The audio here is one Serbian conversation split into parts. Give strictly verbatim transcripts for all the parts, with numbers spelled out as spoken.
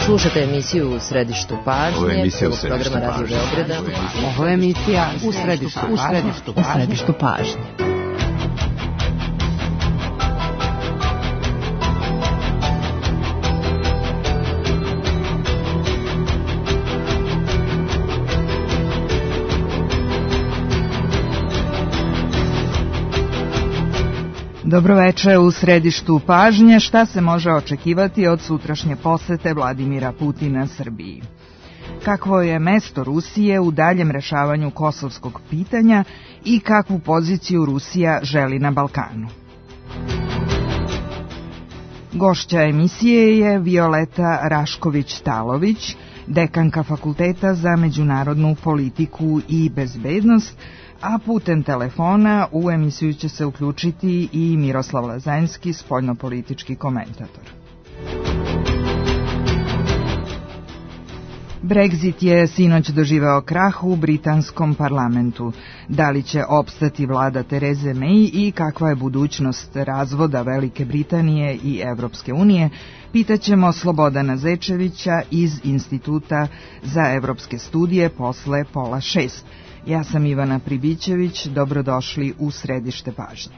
Slušate emisiju U središtu pažnje, prvog programa Radio Beograda. Ovo je emisija U središtu pažnje. U središtu pažnje. Dobroveče. U središtu pažnje. Šta se može očekivati od sutrašnje posete Vladimira Putina Srbiji? Kakvo je mesto Rusije u daljem rešavanju kosovskog pitanja i kakvu poziciju Rusija želi na Balkanu? Gošća emisije je Violeta Rašković-Talović, dekanka Fakulteta za međunarodnu politiku i bezbednost, a putem telefona u emisiju će se uključiti i Miroslav Lazanjski, spoljnopolitički komentator. Brexit je sinoć doživeo krah u britanskom parlamentu. Da li će opstati vlada Tereze May i kakva je budućnost razvoda Velike Britanije i Evropske unije, pitaćemo Slobodana Zečevića iz Instituta za evropske studije posle pola šest. Ja sam Ivana Pribićević, dobrodošli u središte pažnje.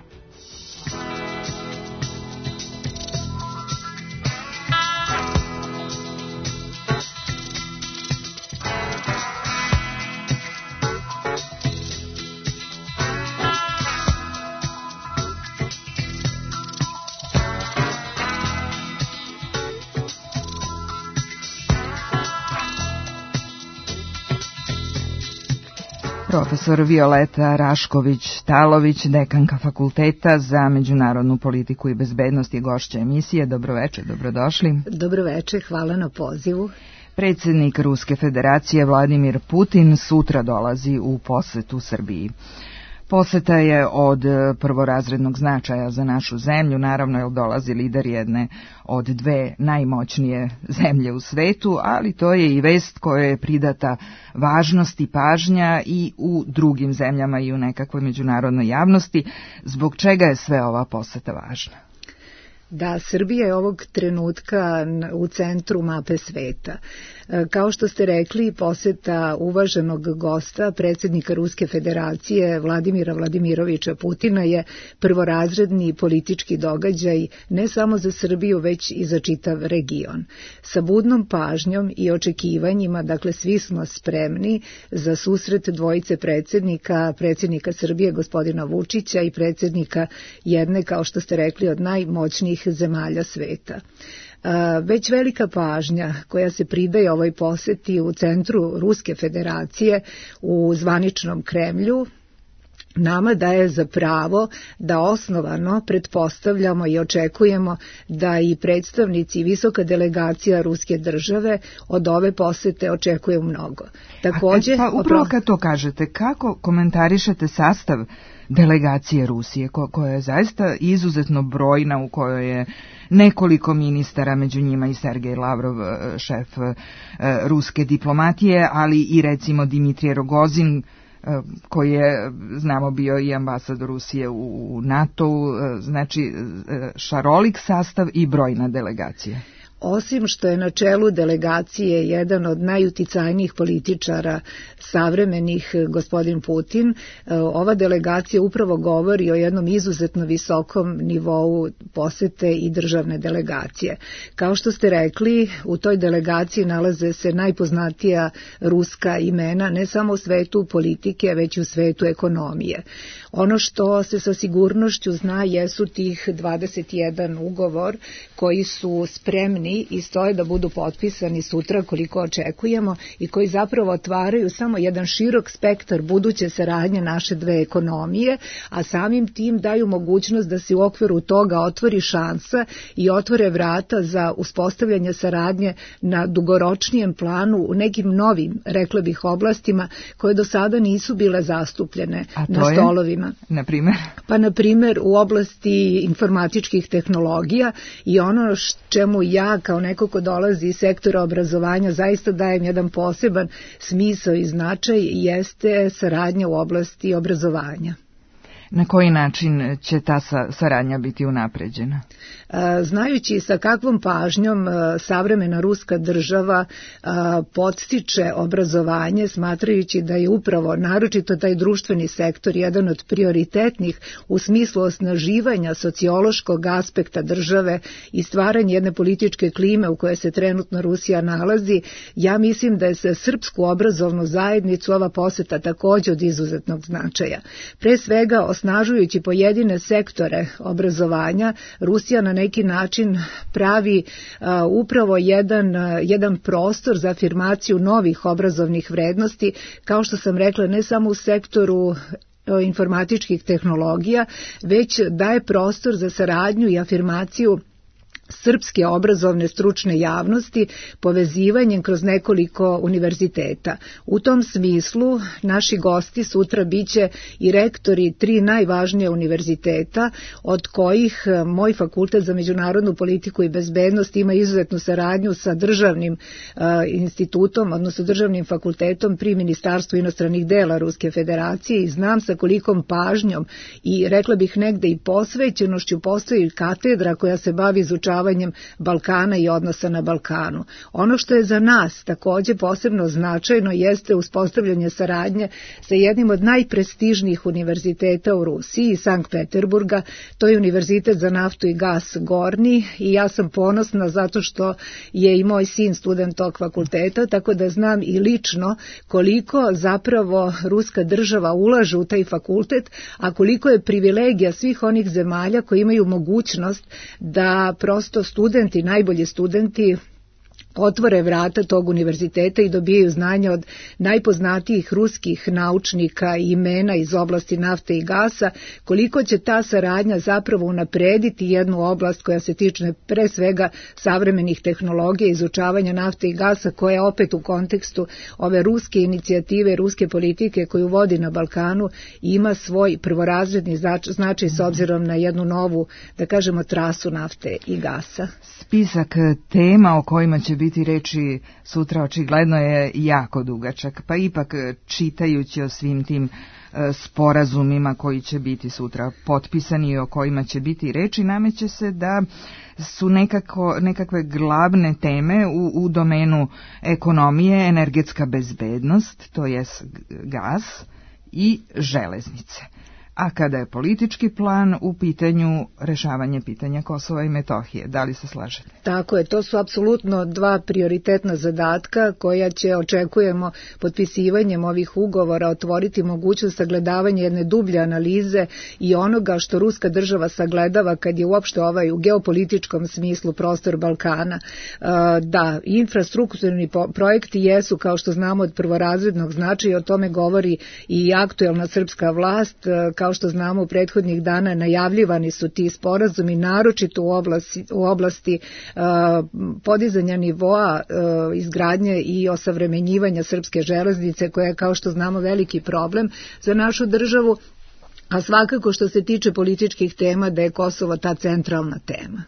Profesor Violeta Rašković-Talović, dekanka Fakulteta za međunarodnu politiku i bezbednost je gošća emisije. Dobroveče, dobrodošli. Dobroveče, hvala na pozivu. Predsjednik Ruske federacije Vladimir Putin sutra dolazi u posetu Srbiji. Poseta je od prvorazrednog značaja za našu zemlju, naravno jer dolazi lider jedne od dve najmoćnije zemlje u svetu, ali to je i vest kojoj je pridata važnost i pažnja i u drugim zemljama i u nekakvoj međunarodnoj javnosti. Zbog čega je sve ova poseta važna? Da, Srbija je ovog trenutka u centru mape sveta. Kao što ste rekli, poseta uvaženog gosta, predsjednika Ruske federacije Vladimira Vladimiroviča Putina je prvorazredni politički događaj ne samo za Srbiju, već i za čitav region. Sa budnom pažnjom i očekivanjima, dakle svi smo spremni za susret dvojice predsjednika, predsjednika Srbije gospodina Vučića i predsjednika jedne, kao što ste rekli, od najmoćnijih zemalja sveta. Već velika pažnja koja se pridaje ovoj poseti u centru Ruske federacije u zvaničnom Kremlju nama daje za pravo da osnovano pretpostavljamo i očekujemo da i predstavnici i visoka delegacija Ruske države od ove posete očekuju mnogo. Takođe, A, pa upravo kad to kažete, kako komentarišete sastav delegacije Rusije, ko, koja je zaista izuzetno brojna, u kojoj je nekoliko ministara, među njima i Sergej Lavrov, šef ruske diplomatije, ali i recimo Dimitrij Rogozin, koji je, znamo, bio i ambasador Rusije u NATO-u, znači šarolik sastav i brojna delegacija. Osim što je na čelu delegacije jedan od najuticajnijih političara savremenih, gospodin Putin, ova delegacija upravo govori o jednom izuzetno visokom nivou posete i državne delegacije. Kao što ste rekli, u toj delegaciji nalaze se najpoznatija ruska imena, ne samo u svetu politike, već i u svetu ekonomije. Ono što se sa sigurnošću zna jesu tih dvadeset jedan ugovor koji su spremni i stoje da budu potpisani sutra koliko očekujemo i koji zapravo otvaraju samo jedan širok spektar buduće saradnje naše dve ekonomije, a samim tim daju mogućnost da se u okviru toga otvori šansa i otvore vrata za uspostavljanje saradnje na dugoročnijem planu u nekim novim, rekla bih, oblastima koje do sada nisu bile zastupljene na stolovima. Na primjer? Pa na primjer u oblasti informatičkih tehnologija i ono čemu ja kao neko ko dolazi iz sektora obrazovanja zaista dajem jedan poseban smisao i značaj jeste saradnja u oblasti obrazovanja. Na koji način će ta saradnja biti unapređena? Znajući sa kakvom pažnjom savremena ruska država podstiče obrazovanje, smatrajući da je upravo naročito taj društveni sektor jedan od prioritetnih u smislu osnaživanja sociološkog aspekta države i stvaranja jedne političke klime u kojoj se trenutno Rusija nalazi, ja mislim da je za srpsku obrazovnu zajednicu ova poseta također od izuzetnog značaja. Pre svega, osnažujući pojedine sektore obrazovanja, Rusija na neki način pravi uh, upravo jedan, uh, jedan prostor za afirmaciju novih obrazovnih vrednosti, kao što sam rekla, ne samo u sektoru informatičkih tehnologija, već daje prostor za saradnju i afirmaciju srpske obrazovne stručne javnosti povezivanjem kroz nekoliko univerziteta. U tom smislu naši gosti sutra biće i rektori tri najvažnije univerziteta, od kojih moj fakultet za međunarodnu politiku i bezbednost ima izuzetnu saradnju sa državnim uh, institutom, odnosno državnim fakultetom pri Ministarstvu inostranih dela Ruske federacije i znam sa kolikom pažnjom i rekla bih negde i posvećenošću postoji katedra koja se bavi izučavanjem Balkana i odnosa na Balkanu. Ono što je za nas također posebno značajno jeste uspostavljanje saradnje sa jednim od najprestižnijih univerziteta u Rusiji, iz Sankt Peterburga, to je Univerzitet za naftu i gas Gorni i ja sam ponosna zato što je i moj sin student tog fakulteta, tako da znam i lično koliko zapravo ruska država ulaže u taj fakultet, a koliko je privilegija svih onih zemalja koji imaju mogućnost da prosto studenti, najbolji studenti otvore vrata tog univerziteta i dobijaju znanja od najpoznatijih ruskih naučnika i imena iz oblasti nafte i gasa, koliko će ta saradnja zapravo unaprediti jednu oblast koja se tiče pre svega savremenih tehnologija, izučavanja nafte i gasa, koja opet u kontekstu ove ruske inicijative, ruske politike koju vodi na Balkanu ima svoj prvorazredni značaj s obzirom na jednu novu, da kažemo, trasu nafte i gasa. Spisak tema o kojima će biti reči sutra očigledno je jako dugačak, pa ipak čitajući o svim tim sporazumima koji će biti sutra potpisani i o kojima će biti reči, nameće se da su nekako, nekakve glavne teme u, u domenu ekonomije, energetska bezbednost, to jest gas i železnice. A kada je politički plan u pitanju rešavanje pitanja Kosova i Metohije, da li se slažete? Tako je, to su apsolutno dva prioritetna zadatka koja će, očekujemo, potpisivanjem ovih ugovora otvoriti mogućnost sagledavanja jedne dublje analize i onoga što ruska država sagledava kad je uopšte ovaj u geopolitičkom smislu prostor Balkana. Da, infrastrukturni projekti jesu, kao što znamo, od prvorazrednog značaja, o tome govori i aktuelna srpska vlast. Kao što znamo, u prethodnih dana najavljivani su ti sporazumi, naročito u oblasti, u oblasti uh, podizanja nivoa uh, izgradnje i osavremenjivanja srpske železnice, koja je, kao što znamo, veliki problem za našu državu, a svakako što se tiče političkih tema da je Kosovo ta centralna tema.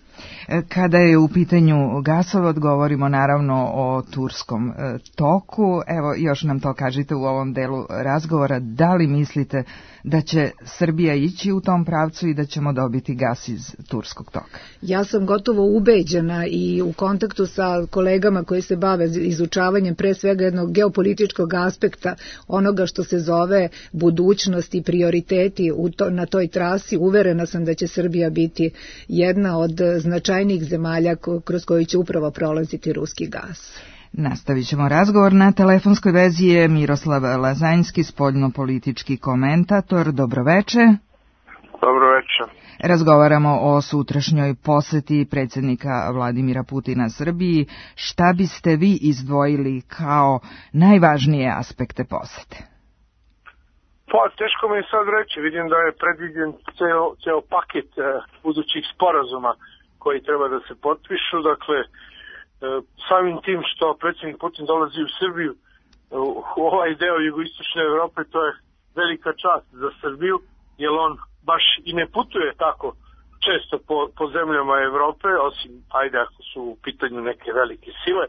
Kada je u pitanju gasovod, govorimo naravno o turskom toku. Evo, još nam to kažite u ovom delu razgovora. Da li mislite da će Srbija ići u tom pravcu i da ćemo dobiti gas iz turskog toka? Ja sam gotovo ubeđena i u kontaktu sa kolegama koji se bave izučavanjem pre svega jednog geopolitičkog aspekta onoga što se zove budućnost i prioriteti u to, na toj trasi. Uverena sam da će Srbija biti jedna od značajnijih zemalja kroz koju će upravo prolaziti ruski gas. Nastavit ćemo razgovor. Na telefonskoj vezi je Miroslav Lazanjski, spoljnopolitički komentator. Dobroveče. Dobroveče. Razgovaramo o sutrašnjoj poseti predsjednika Vladimira Putina Srbiji. Šta biste vi izdvojili kao najvažnije aspekte posete? Pa, teško mi je sad reći. Vidim da je predviđen ceo, ceo paket eh, budućih sporazuma koji treba da se potpišu. Dakle, eh, samim tim što predsjednik Putin dolazi u Srbiju, u ovaj deo jugoistočne Evrope, to je velika čast za Srbiju, jer on baš i ne putuje tako često po, po zemljama Evrope, osim, ajde, ako su u pitanju neke velike sile.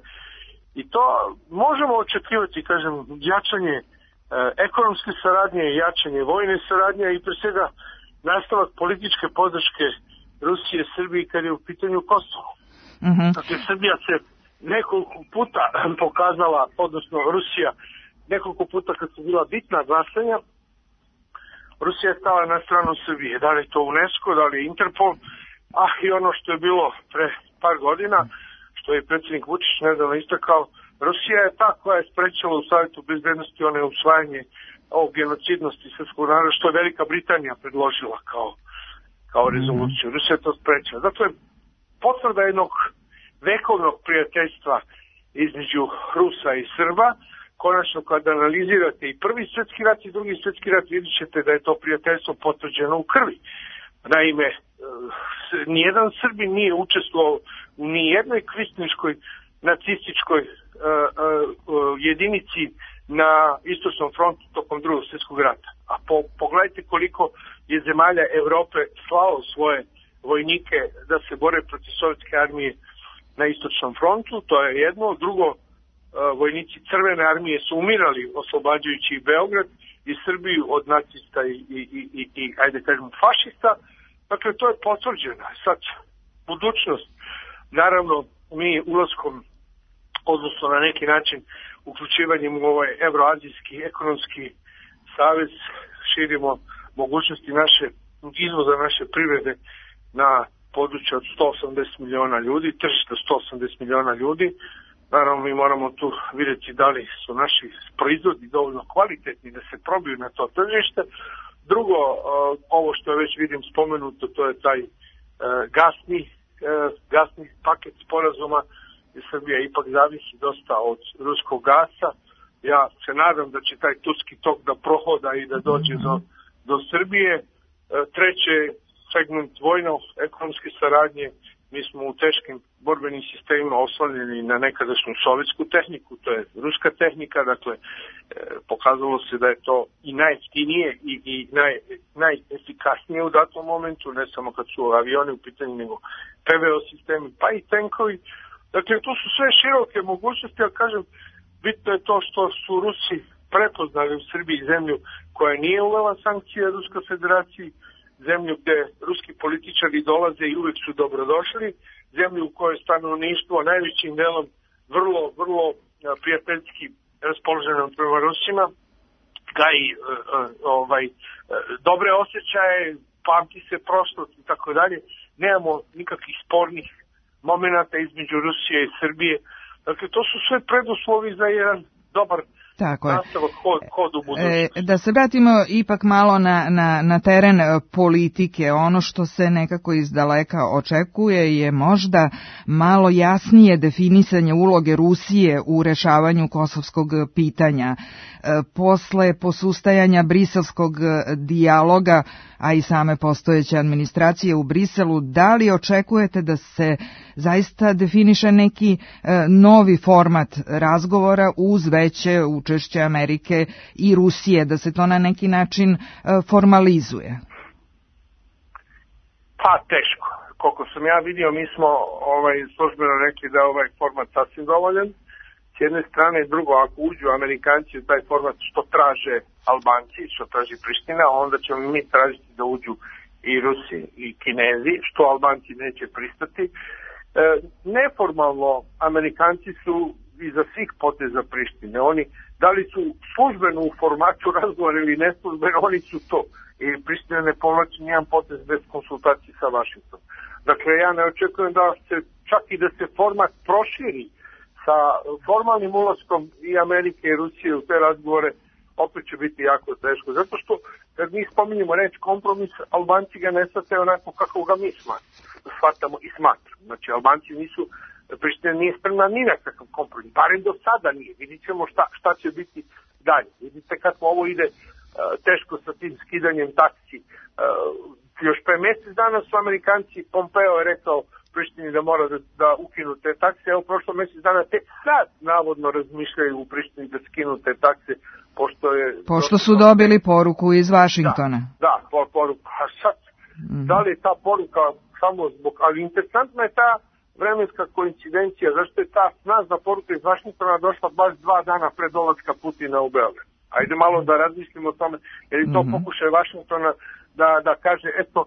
I to možemo očekivati, kažem, jačanje ekonomske saradnje, jačanje vojne saradnje i pre svega nastavak političke podrške Rusije Srbiji kad je u pitanju Kosovo. Mm-hmm. Dakle, Srbija se nekoliko puta pokazala, odnosno Rusija, nekoliko puta kad su bila bitna glasanja, Rusija je stala na stranu Srbije. Da li je to UNESCO, da li je Interpol, a i ono što je bilo pre par godina, što je predsjednik Vučić nedavno istakao, Rusija je ta koja je sprečila u Savjetu bezbednosti one usvajanje ovog genocidnosti srpskog naroda, što je Velika Britanija predložila kao, kao rezoluciju. Mm-hmm. Rusija je to sprečila. Dakle, potvrda jednog vekovnog prijateljstva između Rusa i Srba. Konačno, kada analizirate i prvi svjetski rat i drugi svjetski rat, vidjet ćete da je to prijateljstvo potvrđeno u krvi. Naime, nijedan Srbin nije učestvovao u nijednoj kvislinškoj nacističkoj uh, uh, jedinici na istočnom frontu tokom drugog svjetskog rata. A po, pogledajte koliko je zemalja Evrope slao svoje vojnike da se bore protiv sovjetske armije na istočnom frontu, to je jedno. Drugo, uh, vojnici Crvene armije su umirali oslobađajući i Beograd i Srbiju od nacista i, i, i, i ajde kažemo fašista. Dakle, to je potvrđeno. Sad, budućnost, naravno, mi ulaskom, odnosno na neki način uključivanjem u ovaj Evroazijski ekonomski savez, širimo mogućnosti naše izvoza naše privrede na područje od sto osamdeset miliona ljudi, tržište sto osamdeset miliona ljudi. Naravno, mi moramo tu vidjeti da li su naši proizvodi dovoljno kvalitetni da se probiju na to tržište. Drugo, ovo što već vidim spomenuto, to je taj gasni, gasni paket sporazuma, gdje Srbija ipak zavisi dosta od ruskog gasa. Ja se nadam da će taj turski tok da prohoda i da dođe do, do Srbije. Treće, segment vojno-ekonomske saradnje. Mi smo u teškim borbenim sistemima oslanjeni na nekadašnju sovjetsku tehniku, to je ruska tehnika, dakle e, pokazalo se da je to i najjeftinije i, i naj, najefikasnije u datom momentu, ne samo kad su avioni u pitanju, nego P V O sistemi, pa i tenkovi. Dakle, to su sve široke mogućnosti, a kažem, bitno je to što su Rusi prepoznali u Srbiji zemlju koja nije uvela sankcije Ruskoj federaciji, zemlju gde ruski političari dolaze i uvek su dobrodošli, zemlju u kojoj stanovništvo najvećim delom vrlo, vrlo prijateljski raspoloženo prema Rusima, gaji uh, ovaj, uh, dobre osjećaje, pamti se prošlost i tako dalje. Nemamo nikakvih spornih momenata između Rusije i Srbije. Dakle, to su sve preduslovi za jedan dobar Tako je. Hod, hod u budućnosti. E, da se vratimo ipak malo na, na, na teren politike. Ono što se nekako iz daleka očekuje je možda malo jasnije definisanje uloge Rusije u rešavanju kosovskog pitanja. E, posle posustajanja briselskog dijaloga, a i same postojeće administracije u Briselu, da li očekujete da se zaista definiše neki e, novi format razgovora uz veće učešće Amerike i Rusije, da se to na neki način e, formalizuje? Pa teško. Koliko sam ja vidio, mi smo ovaj, službeno rekli da je ovaj format sasvim dovoljan. S jedne strane, drugo, ako uđu Amerikanci u taj format što traže Albanci, što traži Priština, onda ćemo mi tražiti da uđu i Rusi i Kinezi, što Albanci neće pristati. E, neformalno, Amerikanci su iza svih poteza Prištine. Oni, da li su službeno u formatu razgovora ili neslužbeno, oni su to. I Priština ne povlači nijedan potez bez konsultacije sa Vašingtonom. Dakle, ja ne očekujem da se, čak i da se format proširi sa formalnim ulaskom i Amerike i Rusije u te razgovore, opet će biti jako teško. Zato što, kad mi spominjemo reč kompromis, Albanci ga ne shvataju onako kako ga mi shvatamo i smatramo. Znači, Albanci nisu, Priština nije spremna ni na kakav kompromis, barem do sada nije. Vidit ćemo šta, šta će biti dalje. Vidite kako ovo ide uh, teško sa tim skidanjem taksi. Uh, još pre mjesec dana su Amerikanci, Pompeo je rekao Prištini da mora da, da ukinu te takse. Evo, prošlo mjesec dana tek sad navodno razmišljaju u Prištini da skinu te takse, pošto je... Pošto su dobili poruku iz Vašingtona. Da, da por, poruku. A sad, mm-hmm. da li je ta poruka samo zbog... Ali interesantna je ta vremenska koincidencija, zašto je ta snažna poruka iz Vašingtona došla baš dva dana pred dolaska Putina u Beograd. Ajde malo da razmislimo o tome, jer je to mm-hmm. pokušaj Vašingtona da, da kaže, eto,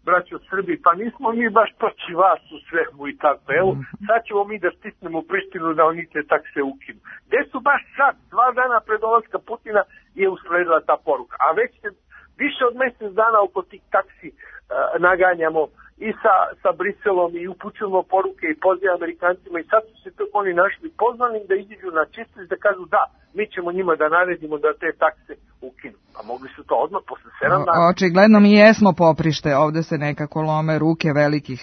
braćo Srbi, pa nismo mi baš protiv vas u svemu i tako. Evo, sad ćemo mi da stisnemo Prištinu da oni te takse ukinu. Gde su baš sad, dva dana pred dolaska Putina je usledila ta poruka. A već se više od mjesec dana oko tih taksi uh, naganjamo i sa, sa Briselom i upućujemo poruke i pozive Amerikancima i sad su se tako oni našli pozvani da iziđu na čistost da kažu da, mi ćemo njima da naredimo da te takse ukinu. A mogli su to odmah posle sedam dana. Očigledno mi jesmo poprište, ovde se nekako lome ruke velikih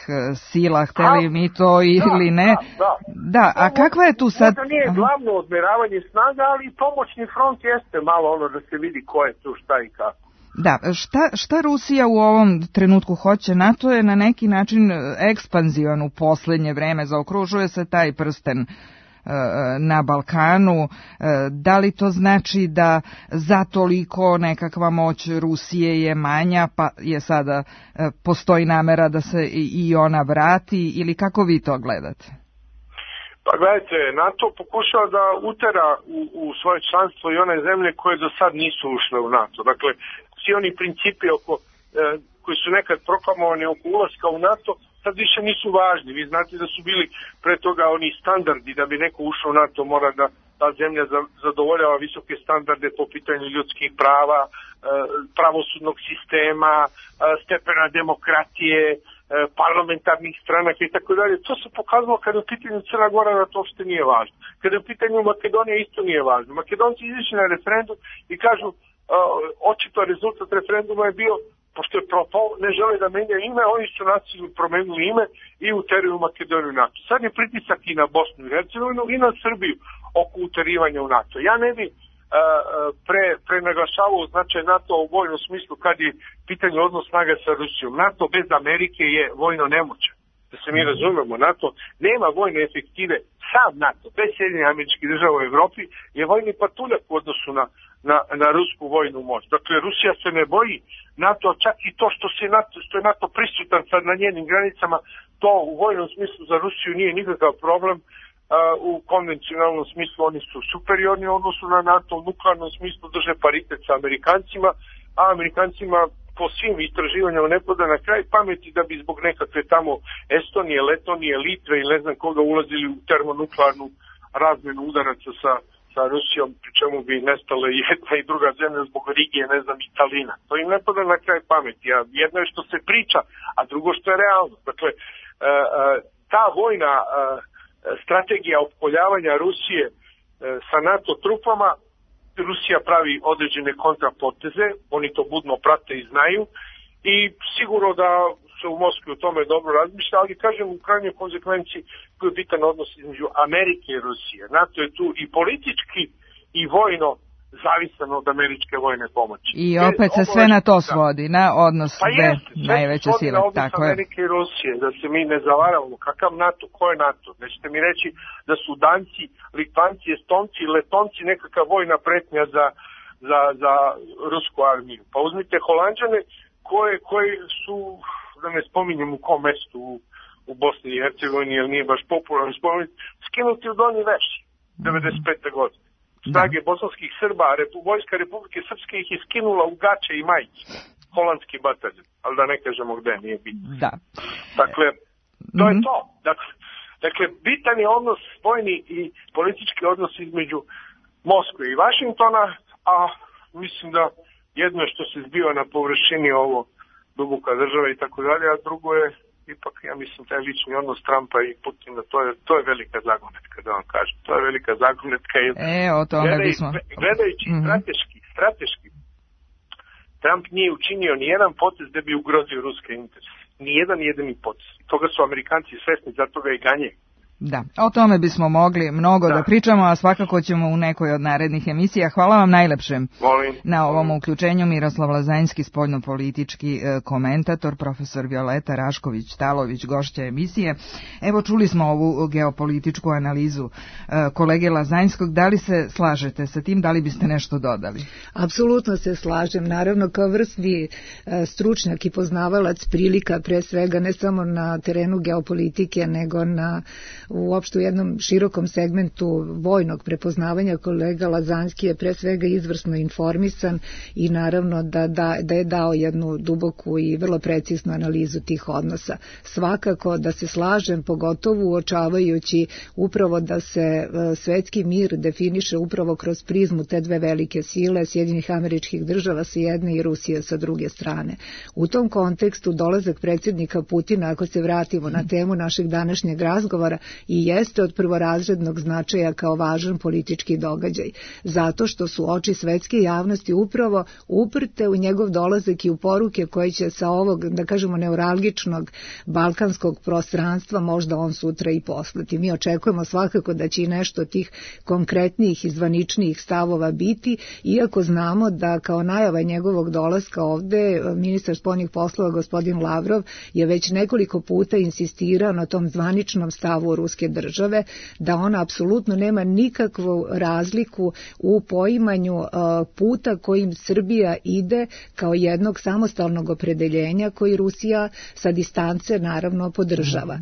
sila, hteli a, mi to ili da, ne. Da, da. da a kakva je tu sad... Možda nije glavno odmeravanje snaga, ali i pomoćni front jeste malo ono da se vidi ko je tu, šta i kako. Da, šta, šta Rusija u ovom trenutku hoće? NATO je na neki način ekspanzivan u posljednje vreme, zaokružuje se taj prsten e, na Balkanu. E, da li to znači da za toliko nekakva moć Rusije je manja, pa je sada e, postoji namera da se i ona vrati, ili kako vi to gledate? Pa gledajte, NATO pokušava da utera u, u svoje članstvo i one zemlje koje do sad nisu ušle u NATO. Dakle, svi oni principi oko, e, koji su nekad proklamovani oko ulaska u NATO, sad više nisu važni. Vi znate da su bili pre toga oni standardi da bi neko ušao u NATO, mora da ta zemlja zadovoljava visoke standarde po pitanju ljudskih prava, e, pravosudnog sistema, e, stepena demokratije, parlamentarnih stranaka i tako dalje. To se pokazalo kada je u pitanju Crna Gora da to uopšte nije važno. Kada je u pitanju Makedonija isto nije važno. Makedonci izašli na referendum i kažu uh, očito rezultat referenduma je bio, pošto je propao, ne žele da menja ime, oni su nasilno promenili ime i uteriju Makedoniju u NATO. Sad je pritisak i na Bosnu i Hercegovinu i na Srbiju oko uterivanja u NATO. Ja ne bi pre, pre naglašavao značaj NATO u vojnom smislu kad je pitanje odnos snaga sa Rusijom. NATO bez Amerike je vojno nemoćan. Da se mi razumemo, NATO nema vojne efektive. Sam NATO, bez Sjedinjenih Američkih Država u Evropi, je vojni patuljak u odnosu na, na, na rusku vojnu moć. Dakle, Rusija se ne boji NATO, čak i to što, se NATO, što je NATO prisutan sad na njenim granicama, to u vojnom smislu za Rusiju nije nikakav problem. Uh, u konvencionalnom smislu oni su superiorni u odnosu na NATO, u nuklearnom smislu drže paritet sa Amerikancima, a Amerikancima po svim istraživanjama ne pada na kraj pameti da bi zbog nekakve tamo Estonije, Letonije, Litve ili ne znam koga ulazili u termonuklearnu razmenu udaraca sa, sa Rusijom, pri čemu bi nestale jedna i druga zemlja zbog Rigije, ne znam, Italina. To im ne pada na kraj pameti, a jedno je što se priča, a drugo što je realno. Dakle, uh, uh, ta vojna uh, strategija opkoljavanja Rusije e, sa NATO trupama, Rusija pravi određene kontrapoteze, oni to budno prate i znaju i sigurno da se u Moskvi o tome dobro razmišlja, ali kažem u krajnjoj konsekvenciji koji je bitan odnos između Amerike i Rusije. NATO je tu i politički i vojno zavisan od američke vojne pomoći. I opet se sve na to svodi, na odnos pa dve jest, najveće sile. Pa tako je. Amerike i Rusije, da se mi ne zavaravamo. Kakav NATO, ko je NATO? Nećete mi reći da su Danci, Litvanci, Estonci, Letonci nekakva vojna pretnja za, za, za rusku armiju. Pa uzmite Holanđane koje, koje su, da ne spominjem u kom mestu u, u Bosni i Hercegovini, jer nije baš popularno spomenuti, skinuti u Donji Veš devedeset pete godine. Snage da. bosanskih Srba, Repu, Vojska Republike Srpske ih je skinula u gače i majice. Holandski bataljon, ali da ne kažemo gde, nije bitno. Da. Dakle, to mm-hmm. je to. Dakle, dakle, bitan je odnos, vojni i politički odnos između Moskve i Vašingtona, a mislim da jedno je što se zbiva na površini ovo duboka država i tako dalje, a drugo je ipak, ja mislim, taj lični odnos Trumpa i Putina, to je, to je velika zagonetka, da vam kažem. To je velika zagonetka. Jer e, o tome gledaj, bismo... Gledajući mm-hmm. strateški, strateški, Trump nije učinio ni jedan potez da bi ugrozio ruske interese. Ni jedan jedini potez. Toga su Amerikanci svesni, zato ga i ganje. Da, o tome bismo mogli mnogo da. da pričamo, a svakako ćemo u nekoj od narednih emisija. Hvala vam najlepše Molim. na ovom uključenju. Miroslav Lazanjski, spoljnopolitički komentator, profesor Violeta Rašković-Talović, gošća emisije. Evo, čuli smo ovu geopolitičku analizu kolege Lazanjskog. Da li se slažete sa tim, da li biste nešto dodali? Apsolutno se slažem. Naravno, kao vrstni stručnjak i poznavalac prilika, pre svega ne samo na terenu geopolitike, nego na uopšte u jednom širokom segmentu vojnog prepoznavanja. Kolega Lazanski je pre svega izvrsno informisan i naravno da, da, da je dao jednu duboku i vrlo preciznu analizu tih odnosa. Svakako da se slažem, pogotovo uočavajući upravo da se svetski mir definiše upravo kroz prizmu te dve velike sile, Sjedinjenih Američkih Država sa jedne i Rusije sa druge strane. U tom kontekstu dolazak predsjednika Putina, ako se vratimo na temu našeg današnjeg razgovora, i jeste od prvorazrednog značaja kao važan politički događaj, zato što su oči svetske javnosti upravo uprte u njegov dolazak i u poruke koje će sa ovog, da kažemo, neuralgičnog balkanskog prostranstva možda on sutra i poslati. Mi očekujemo svakako da će i nešto od tih konkretnijih i zvaničnijih stavova biti, iako znamo da kao najava njegovog dolaska ovde ministar spoljnih poslova gospodin Lavrov je već nekoliko puta insistirao na tom zvaničnom stavu ruske države, da ona apsolutno nema nikakvu razliku u poimanju uh, puta kojim Srbija ide kao jednog samostalnog opredeljenja koji Rusija sa distance naravno podržava.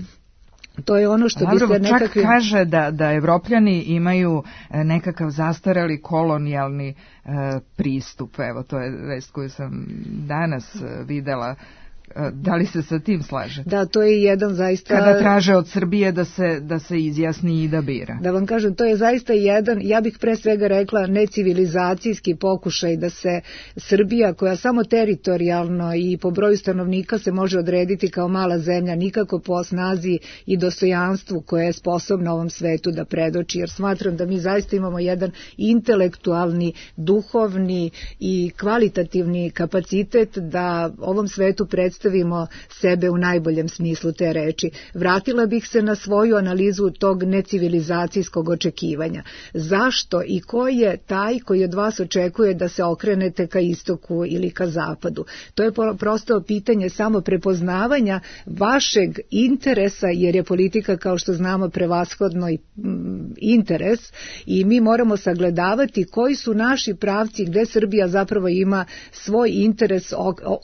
To je ono što Lavrov bi se nekakvim... čak kaže da, da Evropljani imaju nekakav zastareli kolonijalni e, pristup. Evo, to je vest koju sam danas videla. Da li se sa tim slaže? Da, to je jedan zaista... Kada traže od Srbije da se, da se izjasni i da bira. Da vam kažem, to je zaista jedan, ja bih pre svega rekla, necivilizacijski pokušaj da se Srbija, koja samo teritorijalno i po broju stanovnika se može odrediti kao mala zemlja, nikako po snazi i dostojanstvu koje je sposobna ovom svetu da predoči, jer smatram da mi zaista imamo jedan intelektualni, duhovni i kvalitativni kapacitet da ovom svetu predstavimo stavimo sebe u najboljem smislu te reči. Vratila bih se na svoju analizu tog necivilizacijskog očekivanja. Zašto i ko je taj koji od vas očekuje da se okrenete ka istoku ili ka zapadu? To je prosto pitanje samo prepoznavanja vašeg interesa, jer je politika, kao što znamo, prevashodno interes i mi moramo sagledavati koji su naši pravci, gde Srbija zapravo ima svoj interes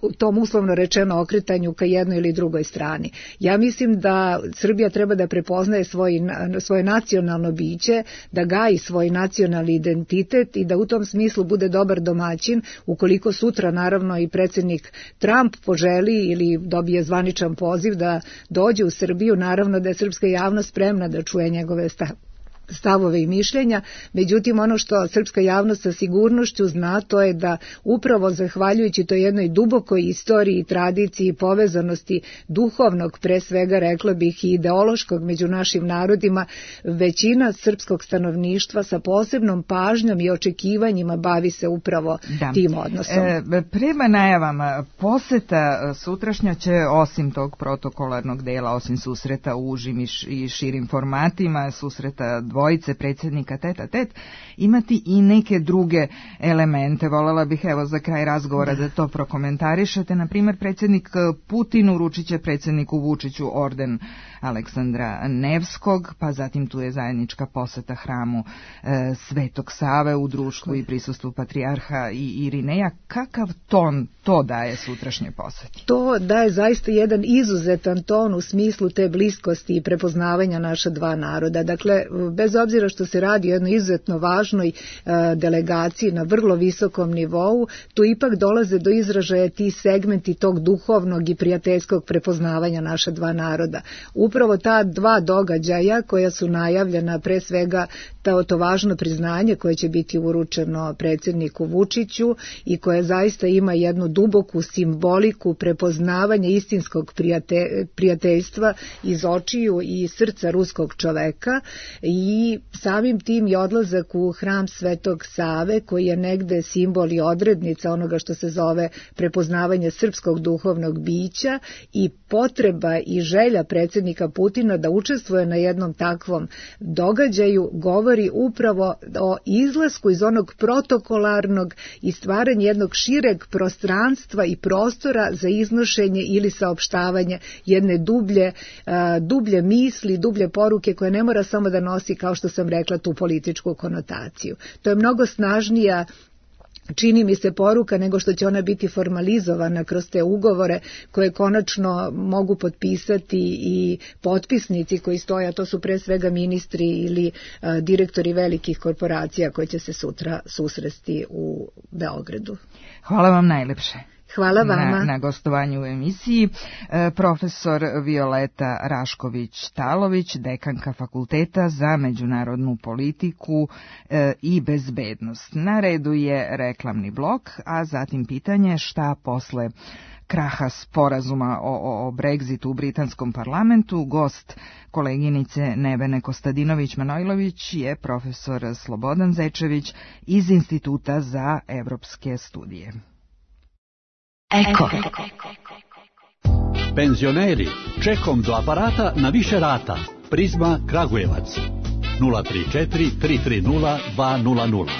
u tom uslovno rečeno okretanju ka jednoj ili drugoj strani. Ja mislim da Srbija treba da prepoznaje svoj, svoje nacionalno biće, da gaji svoj nacionalni identitet i da u tom smislu bude dobar domaćin, ukoliko sutra naravno i predsjednik Trump poželi ili dobije zvaničan poziv da dođe u Srbiju, naravno da je srpska javnost spremna da čuje njegove stavove. stavove i mišljenja, međutim ono što srpska javnost sa sigurnošću zna, to je da upravo zahvaljujući toj jednoj dubokoj istoriji, tradiciji i povezanosti duhovnog, pre svega rekla bih i ideološkog među našim narodima, većina srpskog stanovništva sa posebnom pažnjom i očekivanjima bavi se upravo da. tim odnosom. E, prema najavama, poseta sutrašnja će osim tog protokolarnog dela, osim susreta u užim i širim formatima, susreta dvojice predsjednika tet a tet, imati i neke druge elemente. Voljela bih evo za kraj razgovora da, da to prokomentarišete. Na primjer, predsjednik Putin uručit će predsjedniku Vučiću orden Aleksandra Nevskog, pa zatim tu je zajednička poseta hramu e, Svetog Save u društvu i prisustvu patrijarha i Irineja. Kakav ton to daje sutrašnje poseti? To daje zaista jedan izuzetan ton u smislu te bliskosti i prepoznavanja naša dva naroda. Dakle, bez obzira što se radi o jednoj izuzetno važnoj e, delegaciji na vrlo visokom nivou, tu ipak dolaze do izražaja ti segmenti tog duhovnog i prijateljskog prepoznavanja naša dva naroda. Upravo ta dva događaja koja su najavljena, pre svega to, to važno priznanje koje će biti uručeno predsjedniku Vučiću i koje zaista ima jednu duboku simboliku prepoznavanja istinskog prijate, prijateljstva iz očiju i srca ruskog čoveka, i samim tim i odlazak u hram Svetog Save koji je negde simbol i odrednica onoga što se zove prepoznavanje srpskog duhovnog bića i potreba i želja predsjednika Putina da učestvuje na jednom takvom događaju govori upravo o izlasku iz onog protokolarnog i stvaranju jednog šireg prostranstva i prostora za iznošenje ili saopštavanje jedne dublje, dublje misli, dublje poruke koje ne mora samo da nosi, kao što sam rekla, tu političku konotaciju. To je mnogo snažnija čini mi se poruka, nego što će ona biti formalizovana kroz te ugovore koje konačno mogu potpisati i potpisnici koji stoje, a to su pre svega ministri ili a, direktori velikih korporacija koji će se sutra susresti u Beogradu. Hvala vam najlepše. Hvala vama. Na, na gostovanju u emisiji e, profesor Violeta Rašković-Talović, dekanka Fakulteta za međunarodnu politiku e, i bezbednost. Na redu je reklamni blok, a zatim pitanje šta posle kraha sporazuma o, o, o Brexitu u britanskom parlamentu. Gost koleginice Nevene Kostadinović-Manojlović je profesor Slobodan Zečević iz Instituta za evropske studije. Eko. Penzioneri, čekom do aparata na više rata. Prizma Kragujevac. nula tri četiri tri tri nula dva nula nula.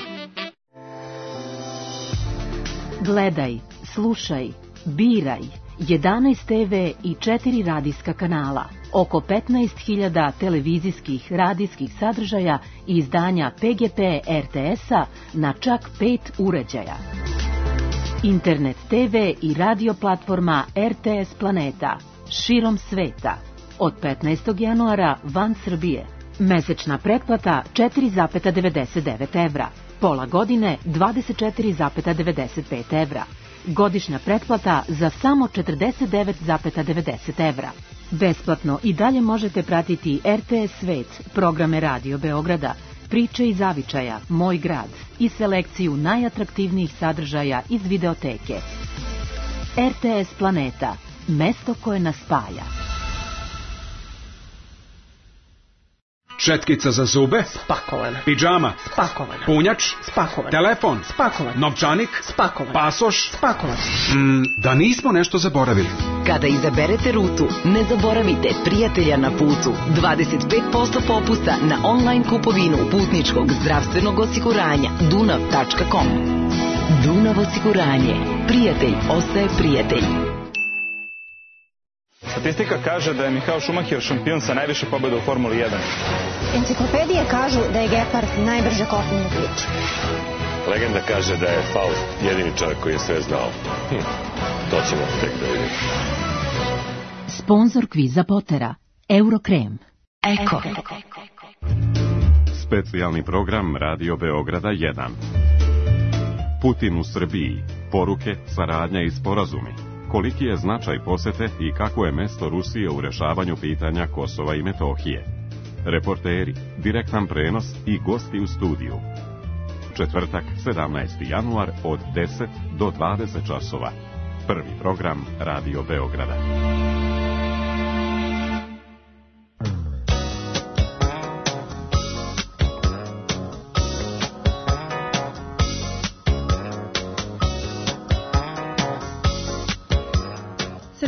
Gledaj, slušaj, biraj. jedanaest te ve i četiri radijska kanala. Oko petnaest hiljada televizijskih radijskih sadržaja i izdanja pe ge pe er te es-a na čak pet uređaja. Internet te ve i radio platforma er te es Planeta širom sveta. Od petnaestog januara van Srbije. Mesečna pretplata četiri zarez devedeset devet evra. Pola godine dvadeset četiri zarez devedeset pet evra. Godišnja pretplata za samo četrdeset devet zarez devedeset evra. Besplatno i dalje možete pratiti er te es Svet, programe Radio Beograda, Priče iz zavičaja, Moj grad i selekciju najatraktivnijih sadržaja iz videoteke. er te es Planeta, mesto koje nas spaja. Četkica za zube? Spakovana. Pidžama? Spakovana. Punjač? Spakovan. Telefon? Spakovan. Novčanik? Spakovan. Pasoš? Spakovan. Mm, da nismo nešto zaboravili. Kada izaberete rutu, ne zaboravite prijatelja na putu. dvadeset pet posto popusta na online kupovinu putničkog zdravstvenog osiguranja dunav tačka kom. Dunav osiguranje. Prijatelj ostaje prijatelj. Statistika kaže da je Michael Schumacher šampion sa najviše pobjeda u Formuli jedan. Enciklopedije kažu da je Gepard najbrže kopneni ptič. Legenda kaže da je Faust jedini čovjek koji je sve znao. Hm, to ćemo tek da vidimo. Sponzor kviza Potera, Eurokrem. Eko. Specijalni program Radio Beograda jedan. Putin u Srbiji. Poruke, saradnja i sporazumi. Koliki je značaj posete i kako je mesto Rusije u rešavanju pitanja Kosova i Metohije. Reporteri, direktan prenos i gosti u studiju. Četvrtak, sedamnaesti januar od deset do dvadeset časova. Prvi program Radio Beograda.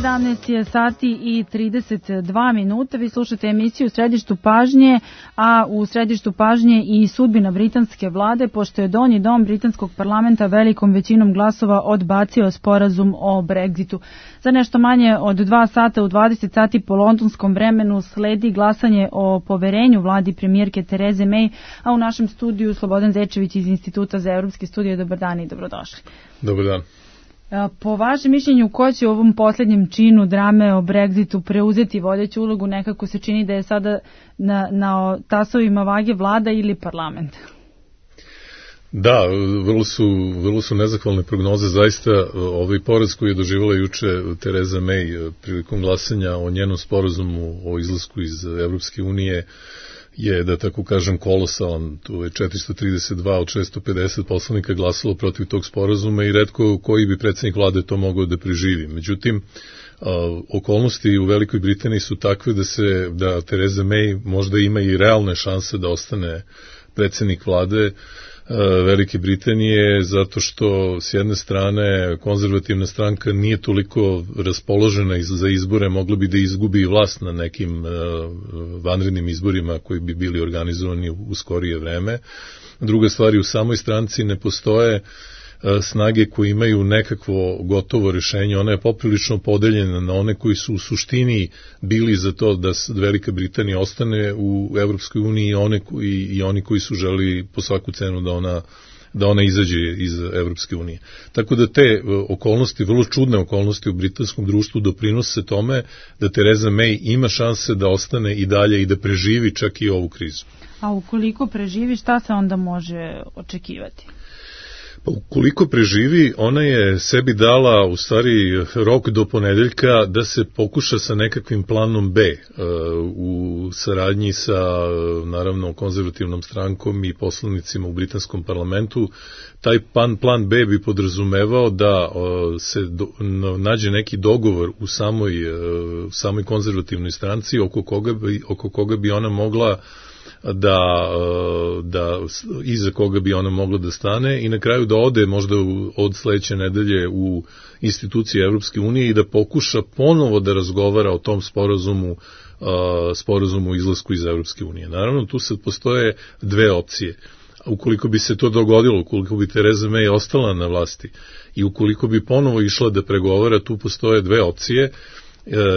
sedamnaest je sati i trideset dva minuta. Vi slušate emisiju u središtu pažnje, a u središtu pažnje i sudbina britanske vlade, pošto je donji dom britanskog parlamenta velikom većinom glasova odbacio sporazum o Brexitu. Za nešto manje od dva sata u dvadeset sati po londonskom vremenu sledi glasanje o poverenju vladi premijerke Tereze May, a u našem studiju Slobodan Zečević iz Instituta za evropske studije. Dobar dan i dobrodošli. Dobar dan. Po vašem mišljenju, ko će u ovom posljednjem činu drame o Brexitu preuzeti vodeću ulogu? Nekako se čini da je sada na, na tasovima vage vlada ili parlament. Da, vrlo su, vrlo su nezahvalne prognoze. Zaista ovaj poraz koji je doživjela juče Tereza May prilikom glasanja o njenom sporazumu o izlasku iz Evropske unije je, da tako kažem, kolosalan. Tu je četiristo trideset dva od šesto pedeset poslanika glasalo protiv tog sporazuma i retko koji bi predsjednik vlade to mogao da preživi. Međutim, okolnosti u Velikoj Britaniji su takve da se da Tereza May možda ima i realne šanse da ostane predsjednik vlade Velike Britanije, zato što s jedne strane konzervativna stranka nije toliko raspoložena za izbore, mogla bi da izgubi vlast na nekim vanrednim izborima koji bi bili organizovani u skorije vreme. Druga stvar, u samoj stranci ne postoje snage koje imaju nekakvo gotovo rješenje. Ona je poprilično podeljena na one koji su u suštini bili za to da Velika Britanija ostane u Evropskoj uniji i, one koji, i oni koji su želi po svaku cenu da ona da ona izađe iz Evropske unije. Tako da te okolnosti, vrlo čudne okolnosti u britanskom društvu doprinose tome da Theresa May ima šanse da ostane i dalje i da preživi čak i ovu krizu. A ukoliko preživi, šta se onda može očekivati? Pa ukoliko preživi, ona je sebi dala u stvari rok do ponedeljka da se pokuša sa nekakvim planom B u saradnji sa naravno konzervativnom strankom i poslanicima u britanskom parlamentu. Taj plan, plan B bi podrazumevao da se do, nađe neki dogovor u samoj, u samoj konzervativnoj stranci oko koga bi, oko koga bi ona mogla da, da iza koga bi ona mogla da stane i na kraju da ode možda od sledeće nedelje u institucije Evropske unije i da pokuša ponovo da razgovara o tom sporazumu sporazumu o izlasku iz Evropske unije. Naravno, tu sad postoje dve opcije. Ukoliko bi se to dogodilo, ukoliko bi Theresa May ostala na vlasti i ukoliko bi ponovo išla da pregovara, tu postoje dve opcije.